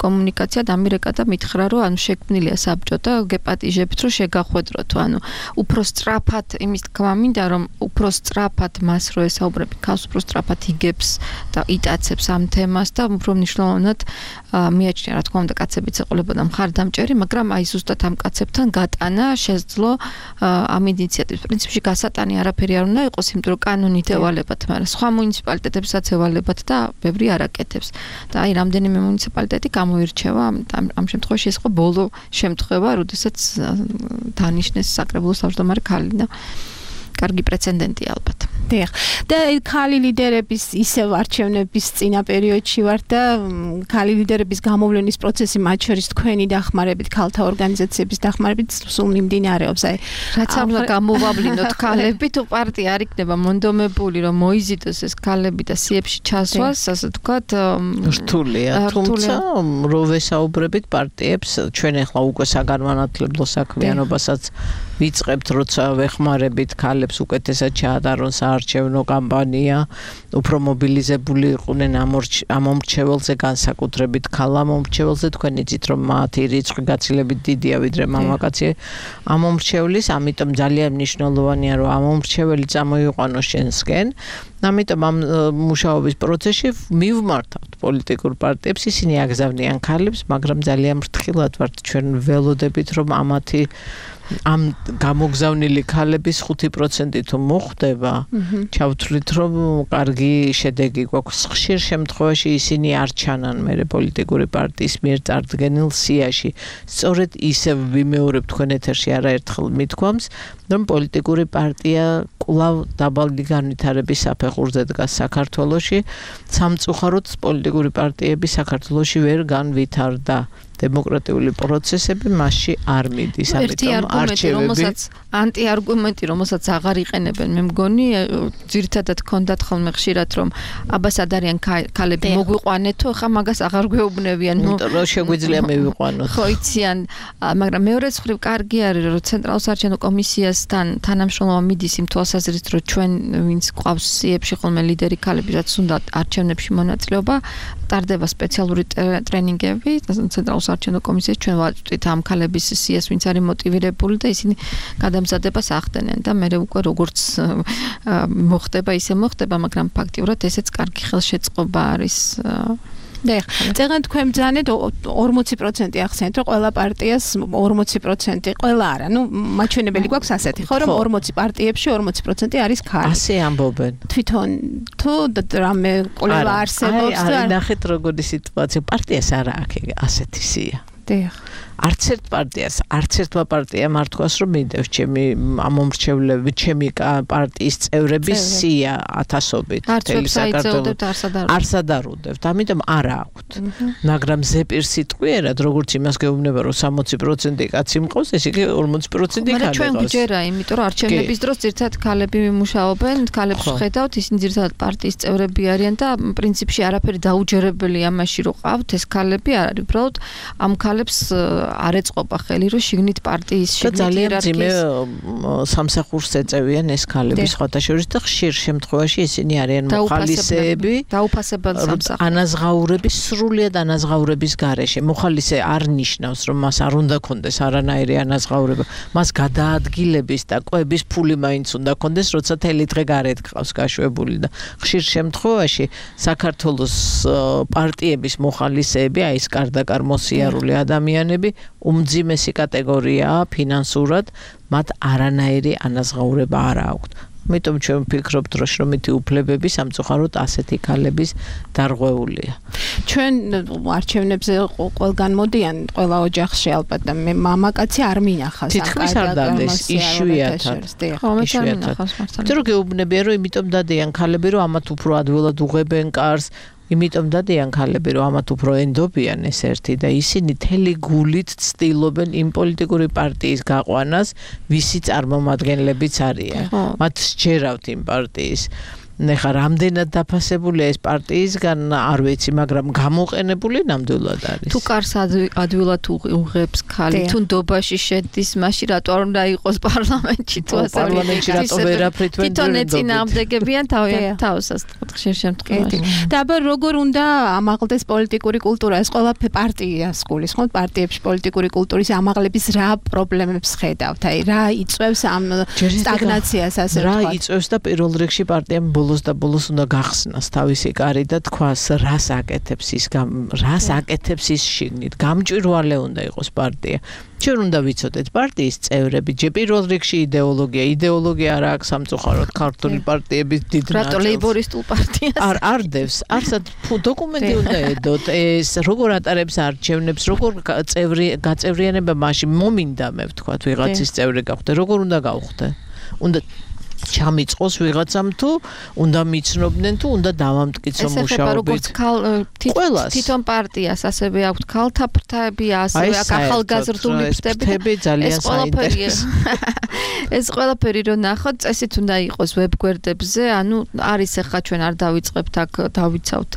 კომუნიკაცია დამირეკა და მითხრა, რომ ანუ შექმნილია საბჭო და გეპატიჟებთ, რომ შეგახვედროთ, ანუ უფრო სწრაფად იმის თქმა მინდა, რომ უფრო სწრაფად მას რო ესაუბრები, ქალს უფრო სწრაფად იგებს და იტაცებს ამ თემას და უფრო მნიშვნელოვნად მიაჩნია, რა თქმა უნდა, კაცებიც ეყოლებოდა მხარდამჭერი, მაგრამ აი ზუსტად ამ კაცებთან გატანა შეძლო ამ ინიციატივის. პრინციპში გასატანი არაფერი არ უნდა იყოს, იმიტომ რომ კანონით ევალებათ, მაგრამ სხვა მუნიციპალიტეტებსაც ევალებათ და ბევრი არ აკეთებს. და აი რამდენიმე მუნიციპალიტეტი გამოირჩევა ამ შემთხვევაში ეს იყო ბოლო შემთხვევა, როდესაც დანიშნეს საკრებულოს თავმჯდომარე ქალი და კარგი პრეცედენტი ალბათ. დიახ. და ქალი ლიდერების ისევ არჩევნების წინა პერიოდში ვარ და ქალი ლიდერების გამოვლენის პროცესი მათ შორის თქვენი დახმარებით, ქალთა ორგანიზაციების დახმარებით სულ მიმდინარეობს. აი, რაც ამლა გამოვავლინოთ ქალები, თუ პარტია არ იქნება მონდომებული, რომ მოიზიდოს ეს ქალები და სიებში ჩასვას, ასე ვთქვათ, რთულია. თუმცა რო ვესაუბრებით პარტიებს, ჩვენ ახლა უკვე საგანმანათლებლო საქმიანობასაც ვიწყებთ, როცა ვეხმარებით ქალებს უკეთესად ჩაატარონ საარჩევნო კამპანია, უფრო მობილიზებული იყვნენ ამომრჩეველზე, განსაკუთრებით ქალ ამომრჩეველზე, თქვენ იცით, რომ მათი რიცხვი გაცილებით დიდია ვიდრე მამაკაცი ამომრჩევლის, ამიტომ ძალიან მნიშვნელოვანია, რომ ამომრჩეველი წამოიყვანოს შენსკენ. ამიტომ ამ მუშაობის პროცესში მივმართავთ პოლიტიკურ პარტიებს, ისინი აგზავნიან ქალებს, მაგრამ ძალიან ფრთხილად ვართ ჩვენ ველოდებით, რომ ამათი ამ გამოგზავნილი ქალების 5% თუ მოხდება, ჩავთვლით, რომ კარგი შედეგი გვაქვს. ხშირ შემთხვევაში ისინი არ ჩანან მერე პოლიტიკური პარტიის მიერ წარდგენილ სიაში. სწორედ ისევ ვიმეორებ თქვენ ეთერში არაერთხელ მithქვამს, რომ პოლიტიკური პარტია კვლავ დაბალი განვითარების საფეხურზე დგას საქართველოში. სამწუხაროდ პოლიტიკური პარტიები საქართველოში ვერ განვითარდა. დემოკრატიული პროცესები მასში არ მიდის, ამიტომ არჩევები ანტიარგუმენტი, რომელსაც აღარ იყენებენ, მე მგონი, ძირითადად ქონდათ ხოლმე ხშირად, რომ აბა სად არიან ქალები მოგვიყვანეთო, ხა მაგას აღარ გვეუბნებიან, რომ შეგვიძლია მივიყვანოთ. ხო, იციან, მაგრამ მეორეც მხრივ კარგი არის, რომ ცენტრალურ საარჩევნო კომისიასთან თანამშრომლობა მიდის იმ თვალსაზრისით, რომ ჩვენ ვინც გვყავს სიებში ხოლმე ლიდერი ქალები, რაც უნდა არჩევნებში მონაწილეობა, ტარდება სპეციალური ტრენინგები ცენტრალურ საარჩევნო კომისიაში, ჩვენ ვაწვდით ამ ქალების სიას, ვინც არის მოტივირებული და ისინი გადამზადებას ახდენენ და მე უკვე როგორც მოხდება, ისე მოხდება, მაგრამ ფაქტიურად ესეც კარგი ხელშეწყობა არის დიახ, წეგან თქვენ ბრძანეთ 40% ახსენეთ, რომ ყველა პარტიას 40% ყველა არა. ნუ მაჩვენებელი გვაქვს ასეთი, ხო, რომ 40 პარტიებში 40% არის ქალი. ასე ამბობენ. თვითონ თუ რამე კოლევა არსებობს და არა, ნახეთ როგორი სიტუაცია. პარტიას არა აქვს ასეთი სია. დიახ. არც ერთ პარტიას, არც ერთმა პარტიამ არ თქვას, რომ მინდევს ჩემი ამომრჩევლები, ჩემი პარტიის წევრების სია ათასობით. თელი საქართველოს არც ადარუდებთ, ამიტომ არა აქვთ. მაგრამ ზეპირ სიტყვიერად, როგორც იმას გეუბნება, რომ 60% კაცი მყავს, ეს იგი 40% ქალი მაგრამ ჩვენ გვჯერა, იმიტომ რომ არჩევნების დროს ძირთად ქალები მუშაობენ, ქალებს ხედავთ, ისინი ძირთად პარტიის წევრები არიან და პრინციპში არაფერი დაუჯერებელი ამაში რომ ყავთ, ეს ქალები არ არის, უბრალოდ ამ ქალებს არ ეწყობა ხელი, რომ შიგნით პარტიის შიგნით იერარქიის სამსახურს ეწევიან ეს ქალები სხვათა შორის და ხშირ შემთხვევაში ისინი არიან მოხალისეები, დაუფასებელ სამსახურს. ანაზღაურების, სრულიად ანაზღაურების გარეშე. მოხალისე არ ნიშნავს, რომ მას არ უნდა კონდეს არანაირი ანაზღაურება. მას გადაადგილების და კვების ფული მაინც უნდა კონდეს, როცა თელი დღე გარეთ გყავს გაშვებული და ხშირ შემთხვევაში საქართველოს პარტიების მოხალისეები, აი ეს კარდაკარ მოსიარული ადამიანები უმძიმესი კატეგორიაა ფინანსურად, მათ არანაირი ანაზღაურება არ აქვთ. ამიტომ ჩვენ ვფიქრობთ, რომ შრომითი უფლებები სამწუხაროდ ასეთი ქალების დარღვეულია. ჩვენ არჩევნებზე ყველგან მოდიან, ყველა ოჯახში ალბათ და მე მამაკაცი არ მინახავს. თითქმის არ დადეს, იშვიათად. ხო, მე არ მინახავს მართლა. იმიტომ რომ გეუბნებიან, რომ იმიტომ დადიან ქალები, რომ ამათ უფრო ადვილად უღებენ კარს. იმიტომ დადიან ქალები, რომ ამათ უფრო ენდობიან ეს ერთი და ისინი თელი გულით ცდილობენ იმ პოლიტიკური პარტიის გაყვანას, ვისი წარმომადგენლებიც არიან. მათ სჯერავთ იმ პარტიის. ნახა რამდენად დაფასებულია ეს პარტიისგან არ ვიცი, მაგრამ გამოყენებული ნამდვილად არის. თუ კარს ადვილად უღებს ქალი, თუ ნდობაში შედის, მაშინ რატო არ უნდა იყოს პარლამენტში თუ ასე. პარლამენტში რატო ვერაფრით ვერ თვითონ ეწინააღმდეგებიან თავისას ხშირ შემთხვევაში. და აბა როგორ უნდა ამაღლდეს პოლიტიკური კულტურა? ეს ყველა პარტიას გulis, ხო? პარტიებში პოლიტიკური კულტურის ამაღლების რა პრობლემებს ხედავთ? აი, რა იწვევს ამ სტაგნაციას ასე რა იწვევს და პირველ რიგში პარტიამ ბოლოს უნდა გახსნას თავისი კარი და თქვას რას აკეთებს ის შიგნით. გამჭვირვალე უნდა იყოს პარტია. ჩვენ უნდა ვიცოდეთ პარტიის წევრები, ჯერ პირველ რიგში იდეოლოგია არა აქვს სამწუხაროდ ქართული პარტიების დიდ ნაწილს. რატო ლეიბორისტულ პარტიას? არ დევს, არსად დოკუმენტი უნდა ედოთ, ეს როგორ ატარებს არჩევნებს, როგორ გაწევრიანება მაშინ მომინდა მე ვთქვათ ვიღაცის წევრი გახვდე, როგორ უნდა გავხდე? უნდა ჩამიწყოს ვიღაცამ თუ უნდა მიცნობდნენ თუ უნდა დავამტკიცო მუშაობით. თვითონ პარტიას ასევე აქვს ქალთა ფრთები, ასევე აქვს ახალგაზრდული ფრთები. ძალიან საინტერესო. ეს ყველაფერი რომ ნახოთ, წესით უნდა იყოს ვებგვერდებზე, ანუ არის ახლა ჩვენ არ დავიწყებთ აქ დავიცავთ.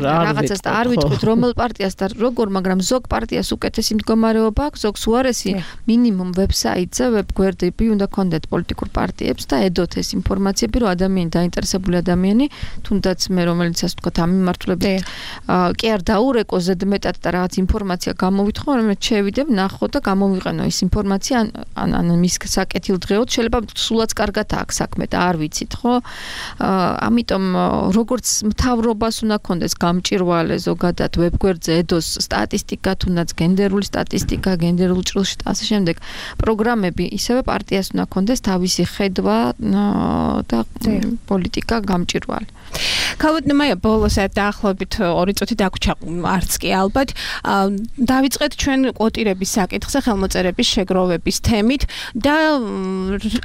რაღაცას და არ ვიტყვით რომელ პარტიას და როგორ, მაგრამ ზოგ პარტიას უკეთესი მდგომარეობა აქვს, ზოგს უარესი მინიმუმ ვებსაიტზე ვებგვერდები უნდა ქონდეთ პოლიტიკურ პარტიებს და ედოთ ეს ინფორმაციები, რომ ადამიანი დაინტერესებული ადამიანი, თუნდაც მე რომელიც ასე ვთქვათ ამ მიმართულებით კი არ დაურეკო ზედმეტად და რაღაც ინფორმაცია გამოვითხოვო, რომ შევიდებ, ნახო და გამოვიყენო ეს ინფორმაცია ან მის საკეთილდღეოდ შეიძლება სულაც კარგად აქვს საქმე და არ ვიცით, ხო? ამიტომ როგორც მთავრობას უნდა ქონდეს გამჭირვალე ზოგადად ვებგვერდზე ედოს სტატისტიკა, თუნდაც გენდერული სტატისტიკა, გენდერულ ჭრილში და ასე შემდეგ პროგრამები, ისევე პარტიას უნდა ქონდეს თავისი ხედვა და პოლიტიკა გამჭირვალე. ქალბატონო, ბოლოს დაახლოებით 2 წუთი დაგვრჩა, არც კი ალბათ. დავიწყეთ ჩვენ კვოტირების საკითხზე, ხელმოწერების შეგროვების თემით და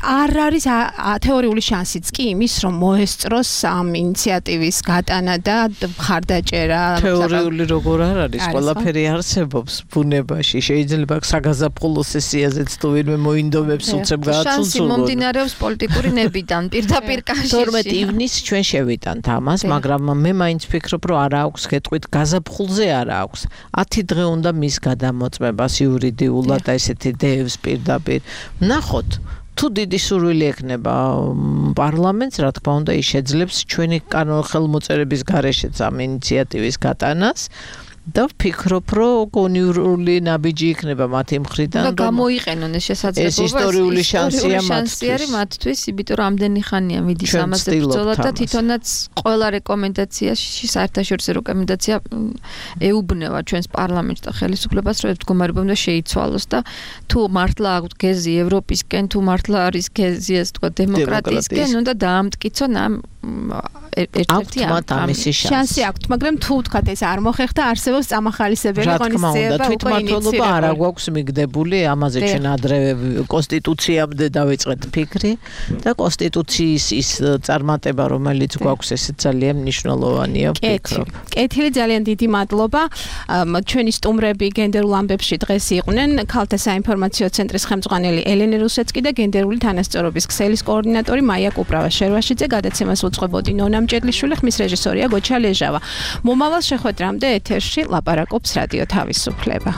არ არის თეორიული შანსიც კი იმის, რომ მოესწროს ამ ინიციატივის გატანა და მხარდაჭერა. თეორიული როგორ არ არის, ყველაფერი არსებობს ბუნებაში. შეიძლება საგაზაფხულო სესიაზეც თუ ვინმე მოინდომებს უცებ გააცულოს. შანსი მომდინარეობს პოლიტიკური ნებიდან, პირდაპირ კავშირში. 12 ივნისს ჩვენ შევიტანთ ამას, მაგრამ მე მაინც ვფიქრობ, რომ არ აქვს გეტყვით გაზაფხულზე არ აქვს. 10 დღე უნდა მის გადამოწმებას იურიდიულად და ესეთი დევს პირდაპირ. ნახოთ თუ დიდი სურვილი ექნება პარლამენტს, რა თქმა უნდა, ის შეძლებს ჩვენი ხელმოწერების გარეშეც ამ ინიციატივის გატანას. და ვფიქრობ, რომ გონივრული ნაბიჯი იქნება მათი მხრიდან, რომ გამოიყენონ ეს შესაძლებლობა. ეს ისტორიული შანსია მათთვის. მათთვის, იმიტომ რომ ამდენი ხანია მიდის ამაზე ბრძოლა და თვითონაც ყველა რეკომენდაციაში საერთაშორისო რეკომენდაცია ეუბნება ჩვენს პარლამენტს და ხელისუფლებას, რომ ეს მდგომარეობა უნდა შეიცვალოს და თუ მართლა აქვს გეზი ევროპისკენ, თუ მართლა არის გეზი ეს თქვა დემოკრატიისკენ, უნდა დაამტკიცონ ამ ერთ-ერთი შანსი აქვს, მაგრამ თუ თქვა ეს არ მოხერხდა, არსებობს წამახალისებელი ღონისძიება უკვე თვითმმართველობა არ აქვს მიგდებული, ამაზე ჩვენ ადრევე კონსტიტუციამდე დავიწყეთ ფიქრი და კონსტიტუციის ის წარმატება, რომელიც გვაქვს, ეს ძალიან მნიშვნელოვანია, ვფიქრობ. კეთილი, ძალიან დიდი მადლობა. ჩვენი სტუმრები გენდერულ ამბებში დღეს იყვნენ ქალთა საინფორმაციო ცენტრის ხელმძღვანელი ელენე რუსეცკი და გენდერული თანასწორობის ქსელის კოორდინატორი მაია კუპრავა შერვაშიძე. გადაცემას უძღვებოდი ნონა მჭედლიშვილი, ხმის რეჟისორია გოჩა ლეჟავა. მომავალ შეხვედრამდე ეთერში ლაპარაკობს რადიო თავისუფლება.